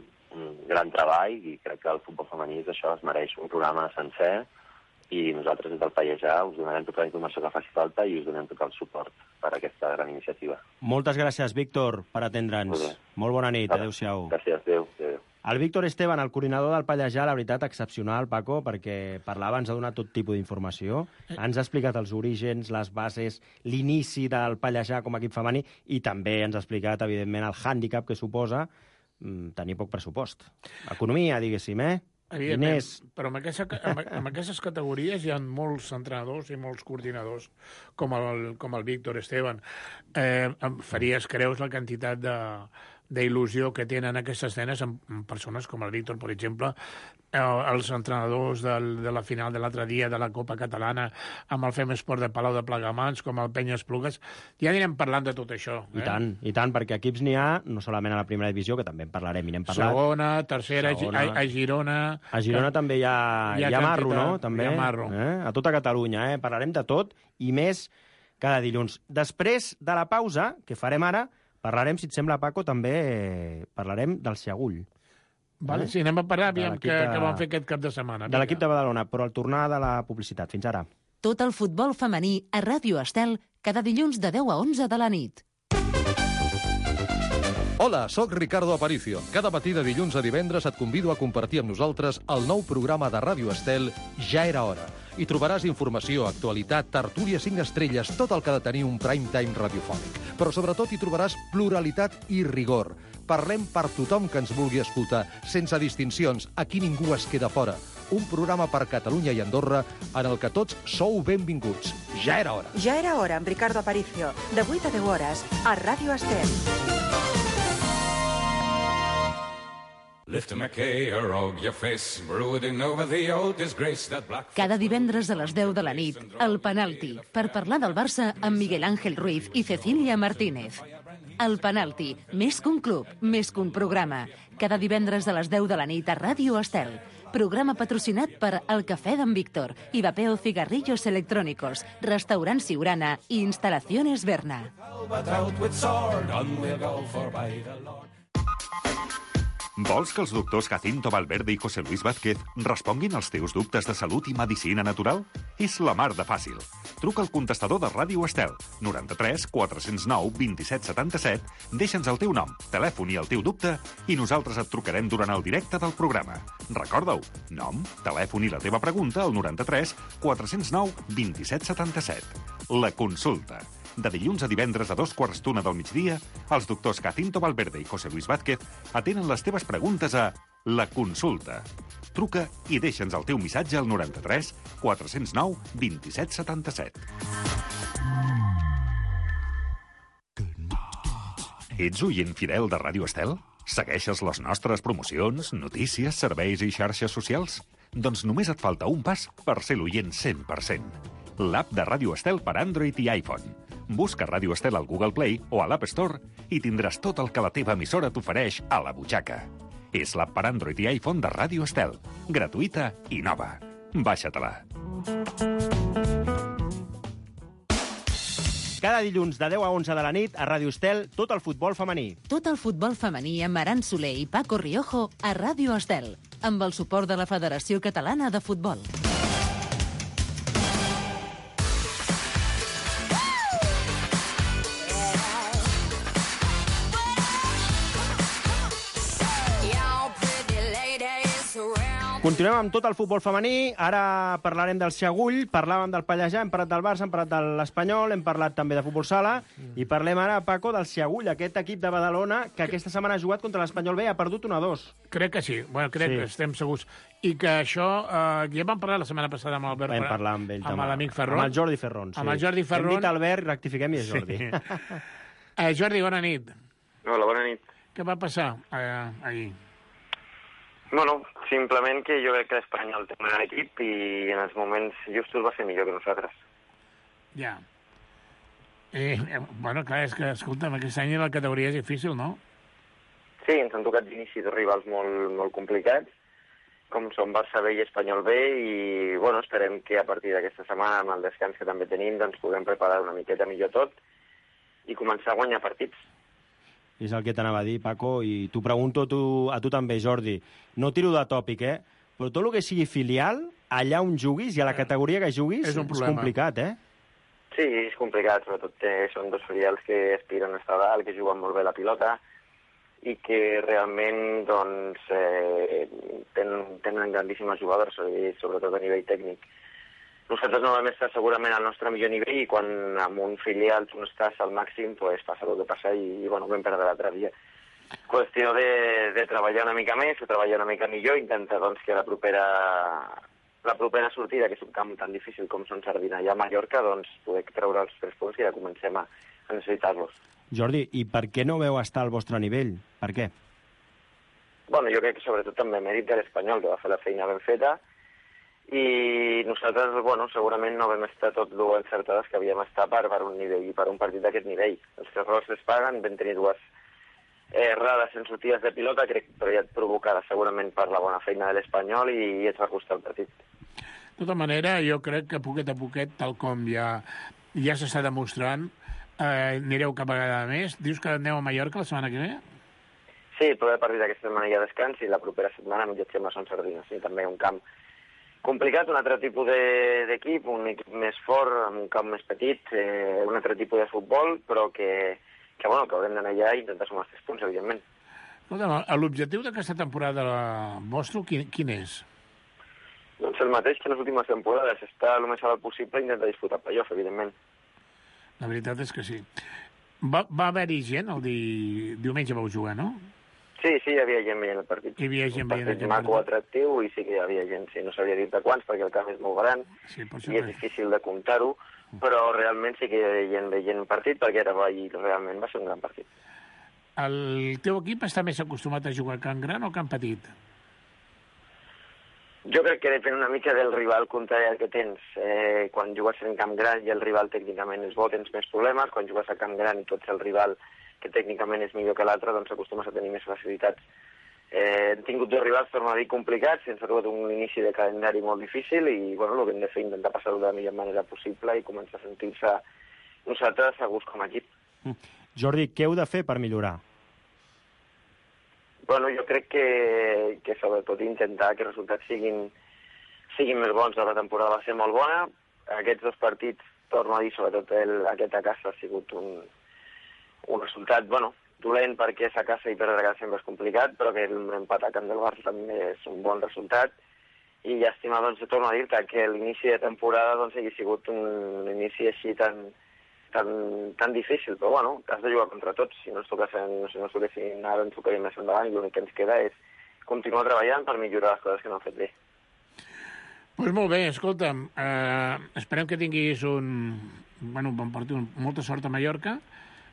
gran treball, i crec que el futbol femení això es mereix un programa sencer, i nosaltres des del Pallejà us donarem tota la informació que faci falta i us donem tot el suport per a aquesta gran iniciativa. Moltes gràcies, Víctor, per atendre'ns. Molt bona nit, adéu-siau. Gràcies, adéu. El Víctor Esteban, el coordinador del Pallejà, la veritat, excepcional, Paco, perquè parlava, ens ha donat tot tipus d'informació, ens ha explicat els orígens, les bases, l'inici del Pallejà com a equip femení, i també ens ha explicat, evidentment, el hàndicap que suposa tenir poc pressupost. Economia, diguéssim, Evidentment, però amb aquestes categories hi ha molts entrenadors i molts coordinadors, com el Víctor Esteban. Em faries creus la quantitat d'il·lusió que tenen aquestes nenes amb persones com el Víctor, per exemple, els entrenadors de la final de l'altre dia de la Copa Catalana, amb el Fem Esport de Palau de Plegamans, com el Penya Esplugues. Ja anirem parlant de tot això. I tant, perquè equips n'hi ha, no solament a la primera divisió, que també en parlarem i n'hem parlat. Segona, tercera, a Girona... A Girona també hi ha marro, no? També, hi ha marro. A tota Catalunya, Parlarem de tot, i més cada dilluns. Després de la pausa, que farem ara, parlarem, si et sembla, Paco, també parlarem del Segull. Vale, sí, anem a parar, aviam què vam fer aquest cap de setmana. De l'equip de Badalona, però al tornar de la publicitat. Fins ara. Tot el futbol femení a Ràdio Estel, cada dilluns de 10 a 11 de la nit. Hola, sóc Ricardo Aparicio. Cada matí de dilluns a divendres et convido a compartir amb nosaltres el nou programa de Ràdio Estel, Ja era hora. Hi trobaràs informació, actualitat, tertúlia 5 estrelles, tot el que ha de tenir un prime time radiofònic. Però sobretot hi trobaràs pluralitat i rigor. Parlem per tothom que ens vulgui escoltar, sense distincions, aquí ningú es queda fora. Un programa per Catalunya i Andorra en el que tots sou benvinguts. Ja era hora. Ja era hora, amb Ricardo Aparicio, de 8 a 10 hores, a Ràdio Estel. Cada divendres a les 10 de la nit, El Penalti, per parlar del Barça amb Miguel Ángel Ruiz i Cecilia Martínez. El Penalti, més que un club, més que un programa. Cada divendres a les 10 de la nit a Ràdio Estel. Programa patrocinat per El Cafè d'en Víctor, Ivapeo Cigarrillos Electrónicos, Restaurant Siurana i Instalaciones Berna. Vols que els doctors Jacinto Valverde i José Luis Vázquez responguin als teus dubtes de salut i medicina natural? És la mar de fàcil. Truca al contestador de Ràdio Estel, 93 409 27 77, deixa'ns el teu nom, telèfon i el teu dubte, i nosaltres et trucarem durant el directe del programa. Recorda-ho, nom, telèfon i la teva pregunta al 93 409 27 77. La consulta. De dilluns a divendres a 2:15 del migdia, els doctors Jacinto Valverde i José Luis Vázquez atenen les teves preguntes a La Consulta. Truca i deixa'ns el teu missatge al 93 409 27 77. Ets oient fidel de Ràdio Estel? Segueixes les nostres promocions, notícies, serveis i xarxes socials? Doncs només et falta un pas per ser l'oient 100%. L'app de Ràdio Estel per Android i iPhone. Busca Ràdio Estel al Google Play o a l'App Store i tindràs tot el que la teva emissora t'ofereix a la butxaca. És l'app per Android i iPhone de Ràdio Estel. Gratuïta i nova. Baixa-te-la. Cada dilluns de 10 a 11 de la nit a Ràdio Estel, tot el futbol femení. Tot el futbol femení amb Aran Soler i Paco Riojo a Ràdio Estel, amb el suport de la Federació Catalana de Futbol. Continuem amb tot el futbol femení. Ara parlarem del Segull, parlàvem del Pallejà, hem parlat del Barça, hem parlat de l'Espanyol, hem parlat també de futbol sala, i parlem ara, Paco, del Segull, aquest equip de Badalona que aquesta setmana ha jugat contra l'Espanyol B i ha perdut 1-2. Crec que sí, crec que estem segurs. I que això, ja vam parlar la setmana passada amb Albert, vam parlar amb ell, amb l'amic Ferron. Amb el Jordi Ferron, sí. Amb el Jordi Ferron. Hem dit Albert, rectifiquem i és Jordi. Sí. Jordi, bona nit. Hola, bona nit. Què va passar ahir? Bueno, simplement que jo crec que l'Espanyol té un gran equip i en els moments justos va ser millor que nosaltres. Ja. Clar, és que, escolta'm, aquest any la categoria és difícil, no? Sí, ens han tocat d'inici dos rivals molt, molt complicats, com són Barça B i Espanyol B, i esperem que a partir d'aquesta setmana, amb el descans que també tenim, doncs puguem preparar una miqueta millor tot i començar a guanyar partits. És el que t'anava a dir, Paco, i t'ho pregunto a tu també, Jordi. No tiro de tòpic, però tot el que sigui filial, allà on juguis i a la categoria que juguis, és complicat, Sí, és complicat, sobretot són dos filials que aspiren a estar dalt, que juguen molt bé la pilota i que realment doncs, tenen grandíssimes jugadors, sobretot a nivell tècnic. Nosaltres no vam estar segurament al nostre millor nivell i quan amb un filial tu no estàs al màxim, pues passa el que passa i vam perdre l'altre dia. Qüestió de treballar una mica més, de treballar una mica millor, intentar doncs, que la propera sortida, que és un camp tan difícil com són Sardina i a Mallorca, doncs poder treure els 3 punts i ja comencem a necessitar-los. Jordi, i per què no veu estar al vostre nivell? Per què? Bueno, jo crec que sobretot també mèrit de l'Espanyol, que va fer la feina ben feta, i nosaltres, segurament no vam estar tot el encertades que havíem estat per un nivell i per un partit d'aquest nivell. Els errors es paguen, vam tenir 2 errades en sortides de pilota, crec que ja provocada segurament per la bona feina de l'Espanyol i ens va costar el partit. De tota manera, jo crec que poquet a poquet, tal com ja s'està demostrant, anireu cada vegada més. Dius que aneu a Mallorca la setmana que ve? Sí, el proper partit d'aquesta setmana hi ha descans i la propera setmana viatgem a Son Sardina. Sí, també un camp complicat, un altre tipus d'equip, un equip més fort, amb un camp més petit, un altre tipus de futbol, però que haurem d'anar allà i intentar sumar els 3 punts, evidentment. L'objectiu d'aquesta temporada vostre, quin és? Doncs el mateix que en les últimes temporades, estar el més alt possible i intentar disputar playoff, evidentment. La veritat és que sí. Va haver-hi gent, el diumenge vau jugar, no? Sí, hi havia gent veient el partit. Hi havia gent veient el partit. Un partit maco, atractiu, i sí que hi havia gent. Sí, no sabria dir de quants, perquè el camp és molt gran i és difícil de comptar-ho, però realment sí que hi havia gent veient el partit, perquè realment va ser un gran partit. El teu equip està més acostumat a jugar a camp gran o camp petit? Jo crec que depèn una mica del rival contrari que tens. Quan jugues en camp gran i el rival tècnicament és bo, tens més problemes. Quan jugues a camp gran i tu ets el rival que tècnicament és millor que l'altre, doncs acostumes a tenir més facilitats. Hem tingut 2 rivals, torno a dir, complicats, ens ha trobat un inici de calendari molt difícil i el que hem de fer és intentar passar-ho de la millor manera possible i començar a sentir-se nosaltres segurs com a equip. Jordi, què heu de fer per millorar? Jo crec que sobretot intentar que els resultats siguin més bons. La temporada va ser molt bona. Aquests 2 partits, torno a dir, sobretot aquest a casa ha sigut un resultat, dolent perquè és a casa i perdre a casa sempre és complicat, però que l'empat a camp del Barça també és un bon resultat. I llàstima, torno a dir-te que l'inici de temporada hagi sigut un inici així tan difícil, però has de jugar contra tots. Si no ens toquessin ara, ens tocaria més endavant i l'únic que ens queda és continuar treballant per millorar les coses que no han fet bé. Doncs molt bé, escolta'm, esperem que tinguis bon partit, molta sort a Mallorca.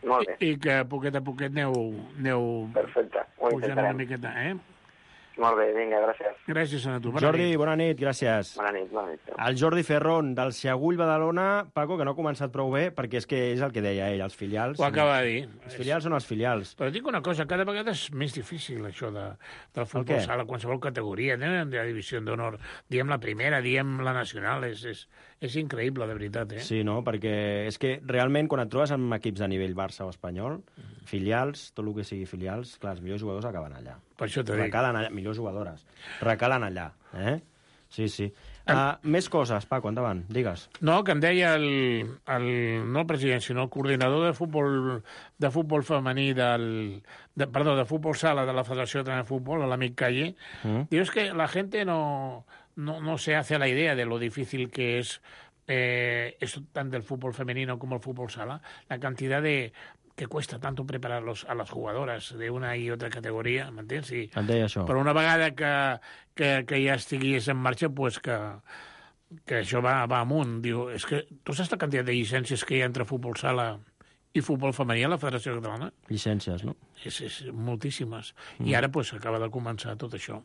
Molt bé. I que poquet a poquet aneu Perfecte, ho pujant intentarem. una miqueta, Molt bé, vinga, gràcies. Gràcies a tu. Jordi, bona nit, gràcies. Bona nit. El Jordi Ferrón, del Seagull Badalona, Paco, que no ha començat prou bé, perquè és que és el que deia ell, els filials... Ho acaba de dir. Els filials són els filials. Però dic una cosa, cada vegada és més difícil, això del futbol sala, qualsevol categoria, de la divisió d'honor. Diem la primera, diem la nacional, és increïble, de veritat, Sí, no? Perquè és que realment, quan et trobes amb equips de nivell Barça o espanyol, filials, tot el que sigui filials, clar, els millors jugadors acaben allà. Per això t'ho dic. Recalen allà, millors jugadores. Recalen allà, Sí. Més coses, Paco, endavant, digues. No, que em deia no el president, sinó el coordinador de futbol femení de futbol sala de la Federació de Futbol, l'amic Calle, diu que la gente no se hace la idea de lo difícil que es esto tanto del fútbol femenino como el fútbol sala, la cantidad que cuesta tanto preparar a las jugadoras de una y otra categoria, m'entens? I per una vegada que ja estigués en marxa, pues que això va amunt. Diu, és que tu saps la quantitat de llicències que hi ha entre futbol sala i futbol femení a la Federació Catalana? Llicències, no? És moltíssimes. I ara pues acaba de començar tot això.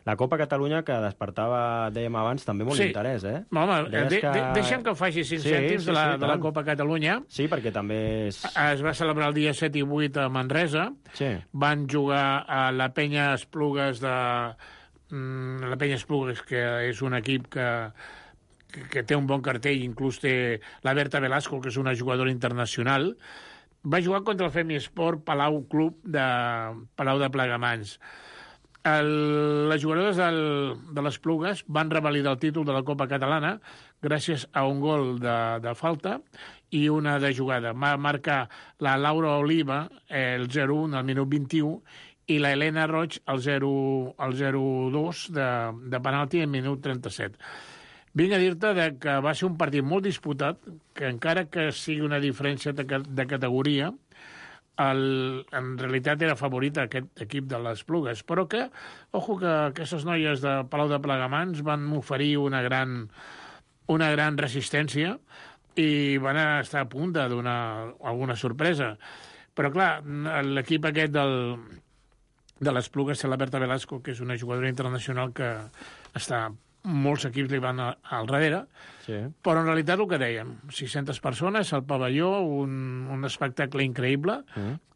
La Copa Catalunya, que despertava, dèiem abans, també molt interès, Home, deixa'm que faci 5 cèntims de la Copa Catalunya. Sí, perquè també és... Es va celebrar el dia 7 i 8 a Manresa. Sí. Van jugar a la Penya Esplugues la Penya Esplugues, que és un equip que té un bon cartell, inclús té la Berta Velasco, que és una jugadora internacional. Va jugar contra el Femisport Palau Club de Palau de Plegamans. Les jugadores de les Plugues van revalidar el títol de la Copa Catalana gràcies a un gol de falta i una de jugada. Va marcar la Laura Oliva el 0-1 al minut 21 i la Helena Roig el 0-2 de penalti al minut 37. Vinc a dir-te que va ser un partit molt disputat, que encara que sigui una diferència de categoria, en realitat era favorit aquest equip de les Plugues, però que aquestes noies de Palau de Plegamans van oferir una gran resistència i van estar a punt de donar alguna sorpresa. Però, clar, l'equip aquest de les Plugues té la Berta Velasco, que és una jugadora internacional que molts equips li van al darrere, però en realitat el que dèiem, 600 persones al pavelló, un espectacle increïble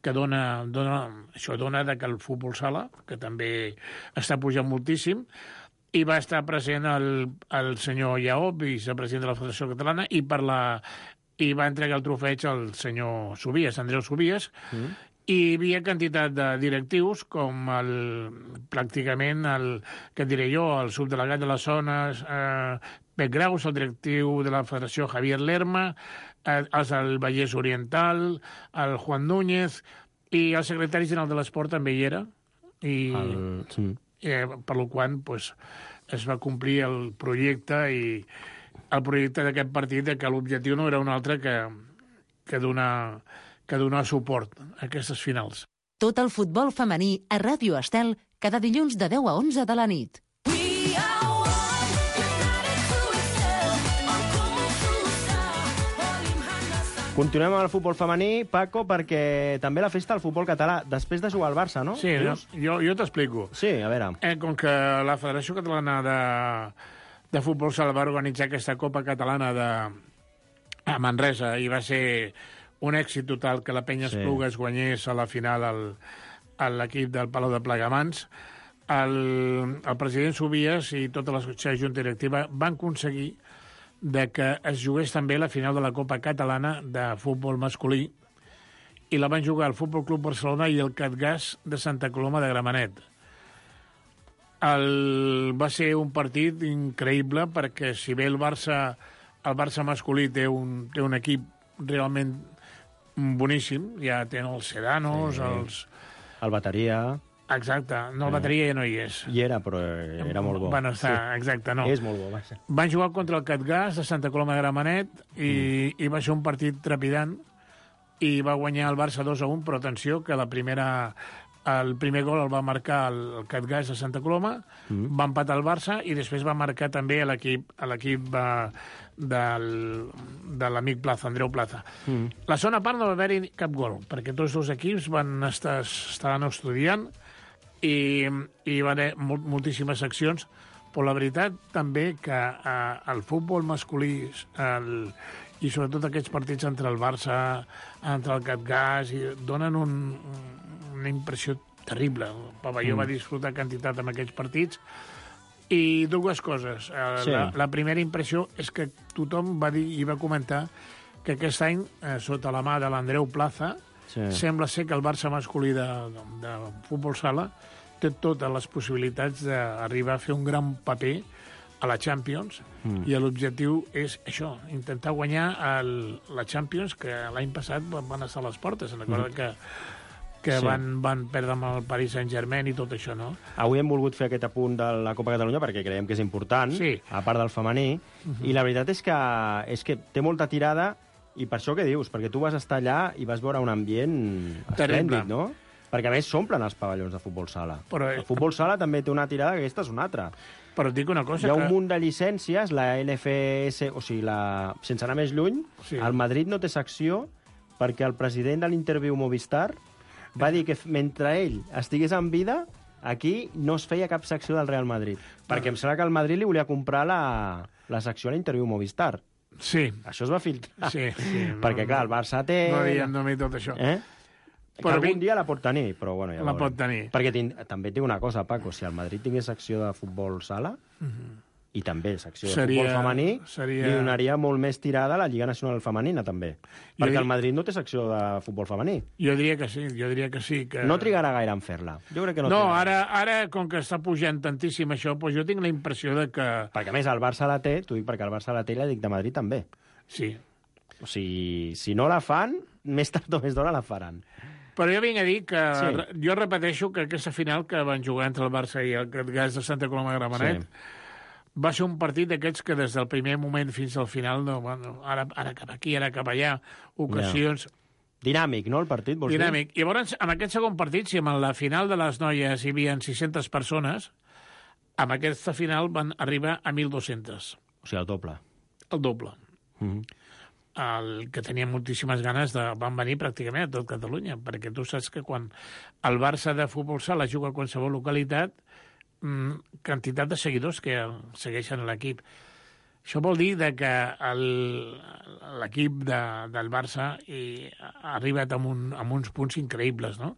que dona que el futbol sala, que també està pujant moltíssim, i va estar present el senyor Lleó, vicepresident de la Federació Catalana, i va entregar el trofeig al senyor Subies, Andreu Subies, i hi havia quantitat de directius, com pràcticament què diré jo, el subdelegat de les zones, Pep Graus, el directiu de la Federació Javier Lerma, els del Vallès Oriental, el Juan Núñez, i el secretari general de l'Esport també hi era, per lo qual es va complir el projecte d'aquest partit, que l'objectiu no era un altre que donar suport a aquestes finals. Tot el futbol femení a Ràdio Estel cada dilluns de 10 a 11 de la nit. Continuem amb el futbol femení, Paco, perquè també la festa del futbol català, després de jugar al Barça, no? Sí, jo t'explico. Sí, a veure. Com que la Federació Catalana de Futbol Sala va organitzar aquesta Copa Catalana a Manresa i va ser un èxit total que la Penya Esplugues guanyés a la final a l'equip del Palau de Plegamans, el president Subies i tota la junta directiva van aconseguir que es jugués també la final de la Copa Catalana de futbol masculí i la van jugar el Futbol Club Barcelona i el Catgàs de Santa Coloma de Gramenet. Va ser un partit increïble perquè si bé el Barça masculí té un equip realment boníssim, ja tenen els Sedanos, el Bateria... Exacte, no, el Bateria ja no hi és. Hi era, però era molt bo. Van estar, exacte, no. És molt bo, va ser. Van jugar contra el Catgàs de Santa Coloma de Gramenet i va ser un partit trepidant i va guanyar el Barça 2-1, però atenció, que la primera El primer gol el va marcar el Catgas de Santa Coloma, va empatar el Barça i després va marcar també l'equip de l'amic Plaza, Andreu Plaza. La segona part no va haver-hi cap gol, perquè tots dos equips estaven estudiant i va haver moltíssimes accions, però la veritat també que el futbol masculí i sobretot aquests partits entre el Barça, entre el Catgas, donen una impressió terrible. El pavelló va disfrutar quantitat amb aquests partits. I dues coses. La primera impressió és que tothom va dir i va comentar que aquest any, sota la mà de l'Andreu Plaza, sembla ser que el Barça masculí de futbol sala té totes les possibilitats d'arribar a fer un gran paper a la Champions, i l'objectiu és això, intentar guanyar la Champions, que l'any passat van estar a les portes. Recorda que van perdre amb el Paris Saint-Germain i tot això, no? Avui hem volgut fer aquest apunt de la Copa Catalunya perquè creiem que és important, a part del femení, i la veritat és que té molta tirada, i per això que dius, perquè tu vas estar allà i vas veure un ambient esplèndid, no? Perquè, a més, s'omplen els pavellons de futbol sala. El futbol sala també té una tirada, que aquesta és una altra. Però et dic una cosa... Hi ha un munt de llicències, la LFS, o sigui, sense anar més lluny, el Madrid no té secció perquè el president de l'Interview Movistar va dir que mentre ell estigués en vida, aquí no es feia cap secció del Real Madrid. Perquè em sembla que el Madrid li volia comprar la secció a l'Interview Movistar. Sí. Això es va filtrar. Sí. Perquè, clar, el Barça té... No diem només tot això. Que algun dia la pot tenir, però bueno, ja la pot tenir. Perquè també tinc una cosa, Paco, si el Madrid tingués secció de futbol sala, i també secció de futbol femení, li donaria molt més tirada a la Lliga Nacional Femenina, també. Perquè el Madrid no té secció de futbol femení. Jo diria que sí. No trigarà gaire en fer-la. Jo crec que no. No, ara, com que està pujant tantíssim això, doncs jo tinc la impressió de que... Perquè, a més, el Barça la té, t'ho dic perquè el Barça la té i l'Atlètic de Madrid també. Sí. O sigui, si no la fan, més tard o més d'hora la faran. Però jo vinc a dir que... Jo repeteixo que aquesta final que van jugar entre el Barça i el Catgas de Santa Coloma de Gramenet va ser un partit d'aquests que des del primer moment fins al final, ara cap aquí, ara cap allà, ocasions... Dinàmic, no, el partit, vols dir? Dinàmic. I llavors, en aquest segon partit, si en la final de les noies hi havia 600 persones, amb aquesta final van arribar a 1.200. O sigui, el doble. El doble. El que tenia moltíssimes ganes van venir pràcticament a tot Catalunya, perquè tu saps que quan el Barça de futbol sala juga a qualsevol localitat, quantitat de seguidors que segueixen l'equip. Això vol dir que l'equip del Barça ha arribat amb uns punts increïbles, no?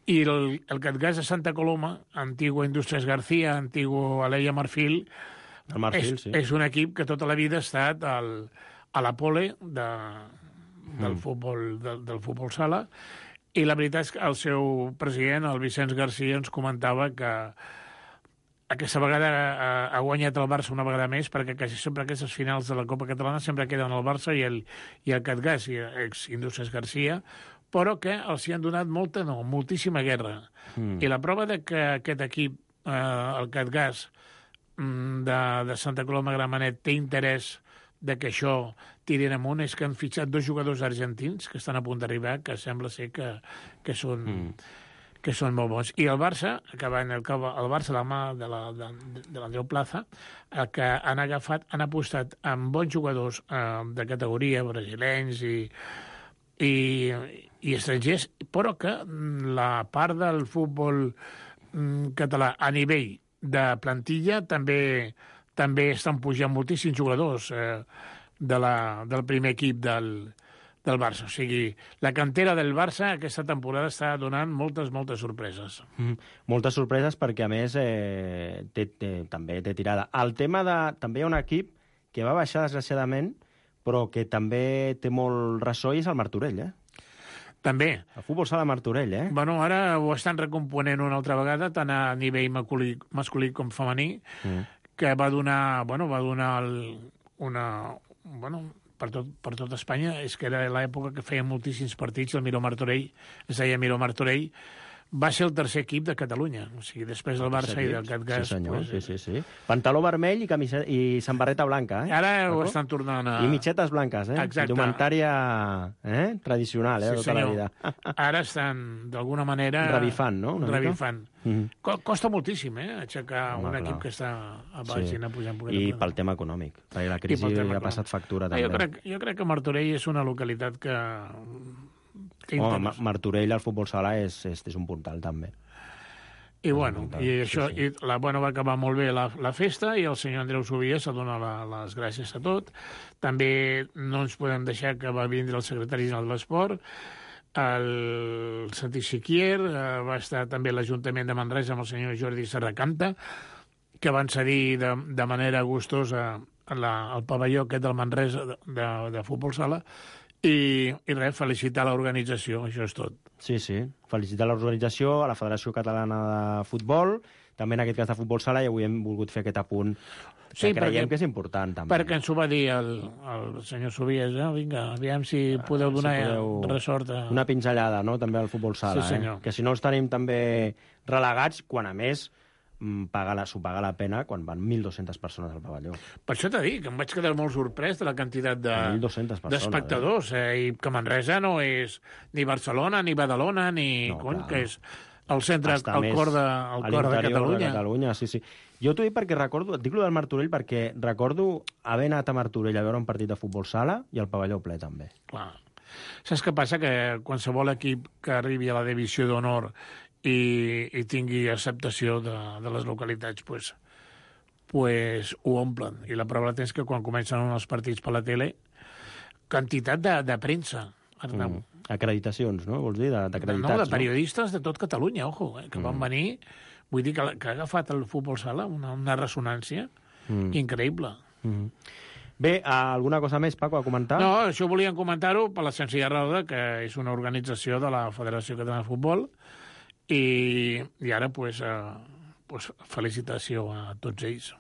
I el Catgas de Santa Coloma, antigo Indústries García, antigo Aleia Marfil, és un equip que tota la vida ha estat a la pole del futbol sala, i la veritat és que el seu president, el Vicenç Garcia, ens comentava que aquesta vegada ha guanyat el Barça una vegada més, perquè quasi sempre aquestes finals de la Copa Catalana sempre queden el Barça i el Catgas, ex-Indústries Garcia, però que els hi han donat moltíssima guerra. I la prova de que aquest equip, el Catgas de Santa Coloma Gramenet, té interès de que això tirin amunt, és que han fitxat 2 jugadors argentins que estan a punt d'arribar, que sembla ser que són molt bons. I el Barça, el Barça, la mà de l'Andreu Plaza, el que han apostat amb bons jugadors de categoria, brasilenys i estrangers, però que la part del futbol català a nivell de plantilla també estan pujant moltíssims jugadors del primer equip del Barça. O sigui, la cantera del Barça aquesta temporada està donant moltes sorpreses. Moltes sorpreses perquè, a més, també té tirada. El tema també hi ha un equip que va baixar, desgraciadament, però que també té molt ressò, i és el Martorell, També. El futbol sala Martorell, Bueno, ara ho estan recomponent una altra vegada, tant a nivell masculí com femení, que va donar per tot Espanya. És que era l'època que feia moltíssims partits, el Miró Martorell, es deia Miró Martorell, va ser el tercer equip de Catalunya. O sigui, després del Barça i del Catgas... Sí, senyor, sí. Pantaló vermell i samarreta blanca, eh? Ara ho estan tornant a... I mitxetes blanques, eh? Exacte. Indumentària tradicional, tota la vida. Ara estan, d'alguna manera... Revifant, no? Revifant. Costa moltíssim, aixecar un equip que està a baix i anar pujant. I pel tema econòmic, perquè la crisi ha passat factura també. Jo crec que Martorell és una localitat que Martorell al futbol sala és un puntal, també. I bueno, va acabar molt bé la festa i el senyor Andreu Subia s'ha donat les gràcies a tot. També no ens podem deixar que va vindre el secretari general de l'Esport, el Santi Siquier, va estar també l'Ajuntament de Manresa amb el senyor Jordi Serracanta, que van cedir de manera gustosa al pavelló aquest del Manresa de futbol sala. I res, felicitar l'organització, això és tot. Sí, felicitar l'organització, a la Federació Catalana de Futbol, també en aquest cas de futbol sala, i avui hem volgut fer aquest apunt que creiem que és important, també. Perquè ens ho va dir el senyor Subies, vinga, aviam si podeu donar ressort. Una pinzellada, no?, també al futbol sala, que si no els tenim també relegats, quan a més s'ho paga la pena quan van 1.200 persones al pavelló. Per això t'he dit, que em vaig quedar molt sorprès de la quantitat d'espectadors, i que Manresa no és ni Barcelona, ni Badalona, que és el centre, el cor de Catalunya. Sí. Jo t'ho dic perquè recordo, et dic lo del Martorell perquè recordo haver anat a Martorell a veure un partit de futbol sala i el pavelló ple també. Clar. Saps què passa? Que qualsevol equip que arribi a la divisió d'honor i tingui acceptació de les localitats, pues ho omplen. I la prova és que quan comencen els partits per la tele, quantitat de premsa, Arnau. Acreditacions, no? Vols dir? D'acreditats, no, de periodistes de tot Catalunya, que van venir. Vull dir que ha agafat el futbol sala una ressonància increïble. Bé, alguna cosa més, Paco, a comentar? No, això volíem comentar-ho per la senzilla raó que és una organització de la Federació Catalana de Futbol i ara, felicitació a tots ells.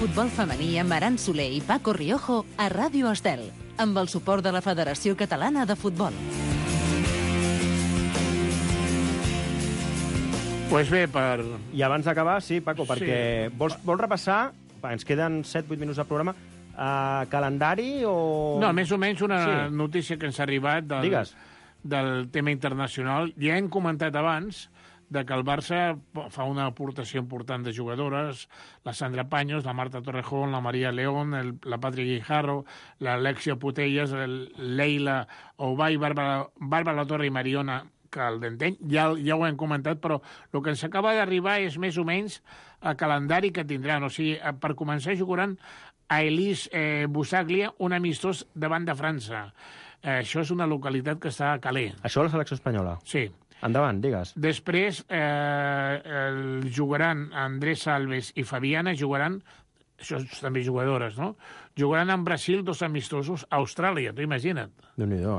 Futbol femení amb Aran Soler i Paco Riojo a Ràdio Estel, amb el suport de la Federació Catalana de Futbol. Pues bé, I abans d'acabar, sí, Paco, perquè vols repassar, ens queden 7-8 minuts de programa, calendari o... No, més o menys una notícia que ens ha arribat del tema internacional. Ja hem comentat abans de que el Barça fa una aportació important de jugadores, la Sandra Paños, la Marta Torrejón, la María León, la Patri Guijarro, la Alexia Putellas, Leila Oubay, Bàrbara La Torre i Mariona Caldenteny. Ja ho hem comentat, però el que ens acaba d'arribar és més o menys el calendari que tindran. O sigui, per començar jugaran a Elise Busaglia, un amistós davant de França. Això és una localitat que està a Calais. Això a la selecció espanyola? Sí. Endavant, digues. Després jugaran Andrés Alves i Fabiana, això també jugadores, no? Jugaran en Brasil 2 amistosos a Austràlia, tu imagina't. Déu-n'hi-do,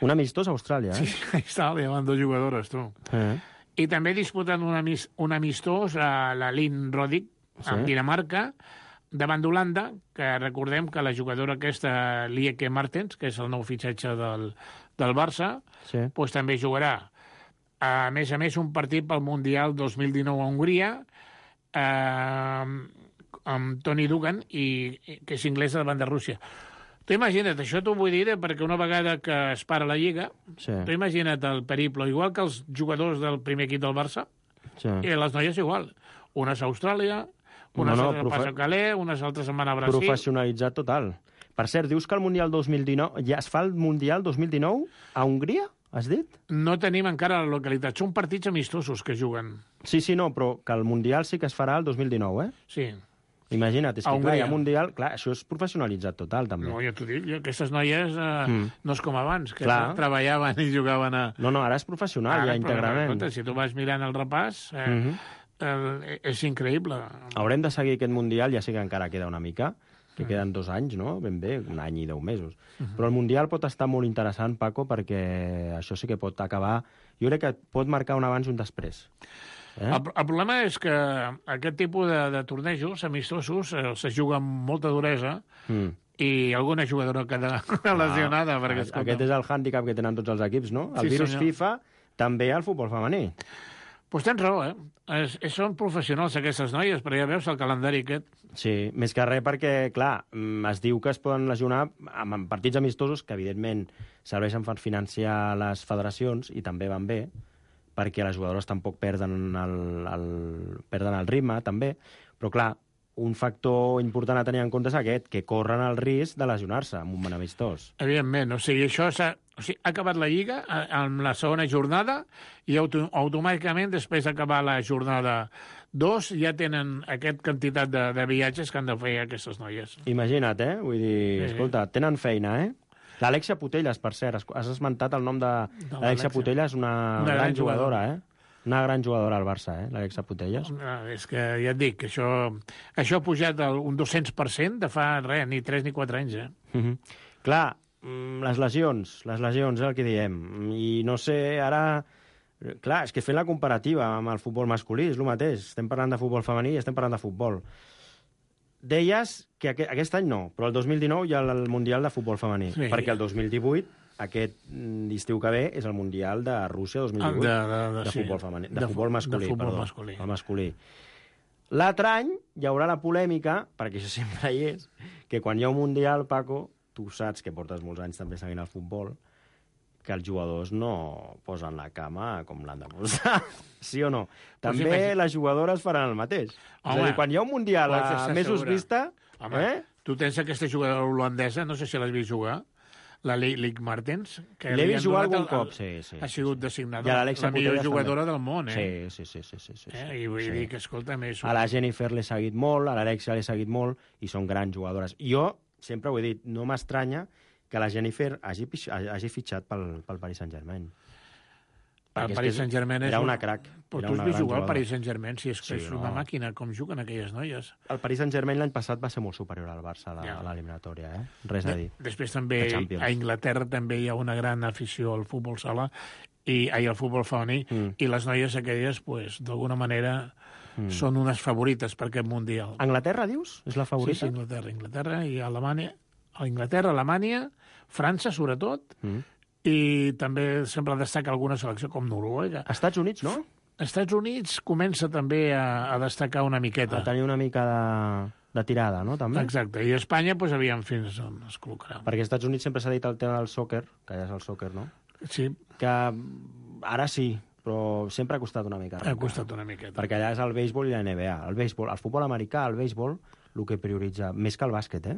Un amistós a Austràlia, Sí, a Austràlia van 2 jugadores, tu. I també disputant un amistós a la Lynn Roddick, en Dinamarca, davant d'Holanda, que recordem que la jugadora aquesta, Lieke Martens, que és el nou fitxatge del Barça, doncs també jugarà. A més, un partit pel Mundial 2019 a Hongria, amb Toni Dugan, que és inglesa davant de Rússia. Tu imagina't, això t'ho vull dir perquè una vegada que es para la Lliga, tu imagina't el periple, igual que els jugadors del primer equip del Barça, i les noies igual. Unes a Austràlia, unes altres pas a Calais, unes altres se'n van a Brasil. Professionalitzat total. Per cert, dius que el Mundial 2019... Ja es fa el Mundial 2019 a Hongria, has dit? No tenim encara la localitat. Són partits amistosos que juguen. Sí, no, però que el Mundial sí que es farà el 2019, Sí. Imagina't, és que clar, hi ha Mundial... Clar, això és professionalitzat total, també. No, ja t'ho dic, aquestes noies no és com abans, que treballaven i jugaven a... No, ara és professional, ja íntegrament. Escolta, si tu vas mirant el repàs, és increïble. Haurem de seguir aquest Mundial, ja sé que encara queda una mica, que queden 2 anys, no? Ben bé, 1 any i 10 mesos. Però el Mundial pot estar molt interessant, Paco, perquè això sí que pot acabar... Jo crec que pot marcar un abans i un després. El problema és que aquest tipus de tornejos amistosos se juga amb molta duresa i alguna jugadora queda lesionada. Perquè, aquest és el hàndicap que tenen tots els equips, no? El virus FIFA també al futbol femení. Doncs tens raó, Són professionals aquestes noies, però ja veus el calendari aquest. Sí, més que res perquè, clar, es diu que es poden lesionar amb partits amistosos que, evidentment, serveixen per financiar les federacions i també van bé, perquè les jugadores tampoc perden el ritme, també. Però, clar, un factor important a tenir en compte és aquest, que corren el risc de lesionar-se amb un bon amistós. Evidentment, això ha acabat la Lliga amb la segona jornada i automàticament, després d'acabar la jornada 2, ja tenen aquesta quantitat de viatges que han de fer aquestes noies. Imagina't, Vull dir, escolta, tenen feina, L'Alexia Putellas, per cert, has esmentat el nom de l'Alexia Putellas, una gran jugadora, Una gran jugadora al Barça, l'Alexia Putellas. És que ja et dic, això ha pujat un 200% de fa ni 3 ni 4 anys, Clar, les lesions, és el que diem. I no sé, ara... Clar, és que fent la comparativa amb el futbol masculí és el mateix. Estem parlant de futbol femení i estem parlant de futbol. Deies que aquest any no, però el 2019 hi ha el Mundial de Futbol Femení, perquè el 2018, aquest estiu que ve, és el Mundial de Rússia 2018 de futbol femení, de futbol masculí. L'altre any hi haurà la polèmica, perquè això sempre hi és, que quan hi ha un Mundial, Paco, tu saps que portes molts anys també seguint el futbol, que els jugadors no posen la cama com l'han de posar, sí o no? També les jugadores faran el mateix. És a dir, quan hi ha un Mundial a mesos vista... Tu tens aquesta jugadora holandesa, no sé si l'has vist jugar, la Lieke Martens, que l'he vist jugar algun cop, sí. Ha sigut designada la millor jugadora del món, Sí. I vull dir que, escolta'm... A la Jennifer l'he seguit molt, a l'Alexia l'he seguit molt, i són grans jugadores. Jo, sempre ho he dit, no m'estranya que la Jennifer hagi fitxat pel Paris Saint-Germain. El Paris Saint-Germain era una crac. Però tu has vist jugar al Paris Saint-Germain, si és que és una màquina, com juguen aquelles noies. El Paris Saint-Germain l'any passat va ser molt superior al Barça a l'eliminatòria, Res a dir. Després també a Anglaterra també hi ha una gran afició al futbol sala i al futbol femení, i les noies aquelles, d'alguna manera, són unes favorites per aquest Mundial. Anglaterra, dius? És la favorita? Sí, Anglaterra i Alemanya. Alemanya, França, sobretot, i també sempre destaca alguna selecció com Noruega. Estats Units, no? Estats Units comença també a destacar una miqueta. A tenir una mica de tirada, no? També. Exacte, i Espanya, aviam fins on es col·locarà. Perquè als Estats Units sempre s'ha dit el tema del sòquer, que ja és el sòquer, no? Sí. Que ara sí, però sempre ha costat una mica. Ha costat una miqueta. Perquè allà és el béisbol i la NBA. El futbol americà, el béisbol, el que prioritza, més que el bàsquet,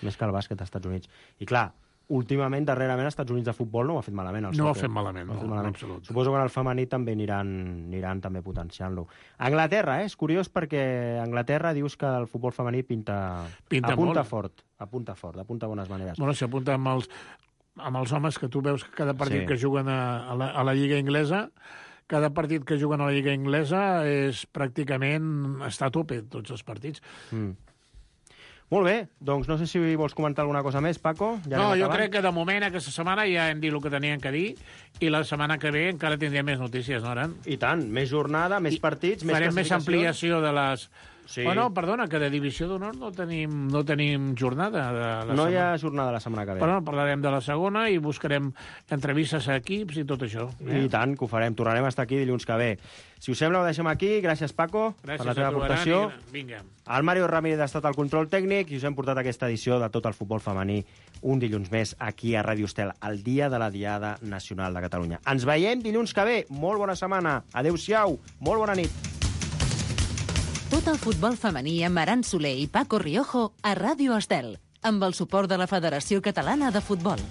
més que el bàsquet als Estats Units. I clar, últimament, darrerament, als Estats Units de futbol no ho ha fet malament. No ho ha fet malament, no, en absolut. Suposo que en el femení també aniran també potenciant-lo. Anglaterra, és curiós perquè Anglaterra dius que el futbol femení apunta fort, apunta bones maneres. Bueno, s'apunta amb els homes que tu veus que cada partit que juguen a la Lliga Inglesa, cada partit que juguen a la Lliga Inglesa és pràcticament està a tope, tots els partits. Molt bé, doncs no sé si vols comentar alguna cosa més, Paco. No, jo crec que de moment aquesta setmana ja hem dit el que tenien que dir i la setmana que ve encara tindrem més notícies, no, Aran? I tant, més jornada, més partits, més classificacions. Farem més ampliació de les... Sí. Bueno, perdona, que de Divisió d'Honor no tenim jornada. No hi ha jornada la setmana que ve. Però parlarem de la segona i buscarem entrevistes a equips i tot això. I tant, que ho farem. Tornarem a estar aquí dilluns que ve. Si us sembla, ho deixem aquí. Gràcies, Paco, per la teva aportació. Vinga. El Mario Ramírez ha estat al control tècnic i us hem portat aquesta edició de tot el futbol femení un dilluns més aquí a Ràdio Estel, el dia de la Diada Nacional de Catalunya. Ens veiem dilluns que ve. Molt bona setmana. Adéu-siau. Molt bona nit. Tot el futbol femení amb Aran Soler i Paco Riojo a Ràdio Estel, amb el suport de la Federació Catalana de Futbol.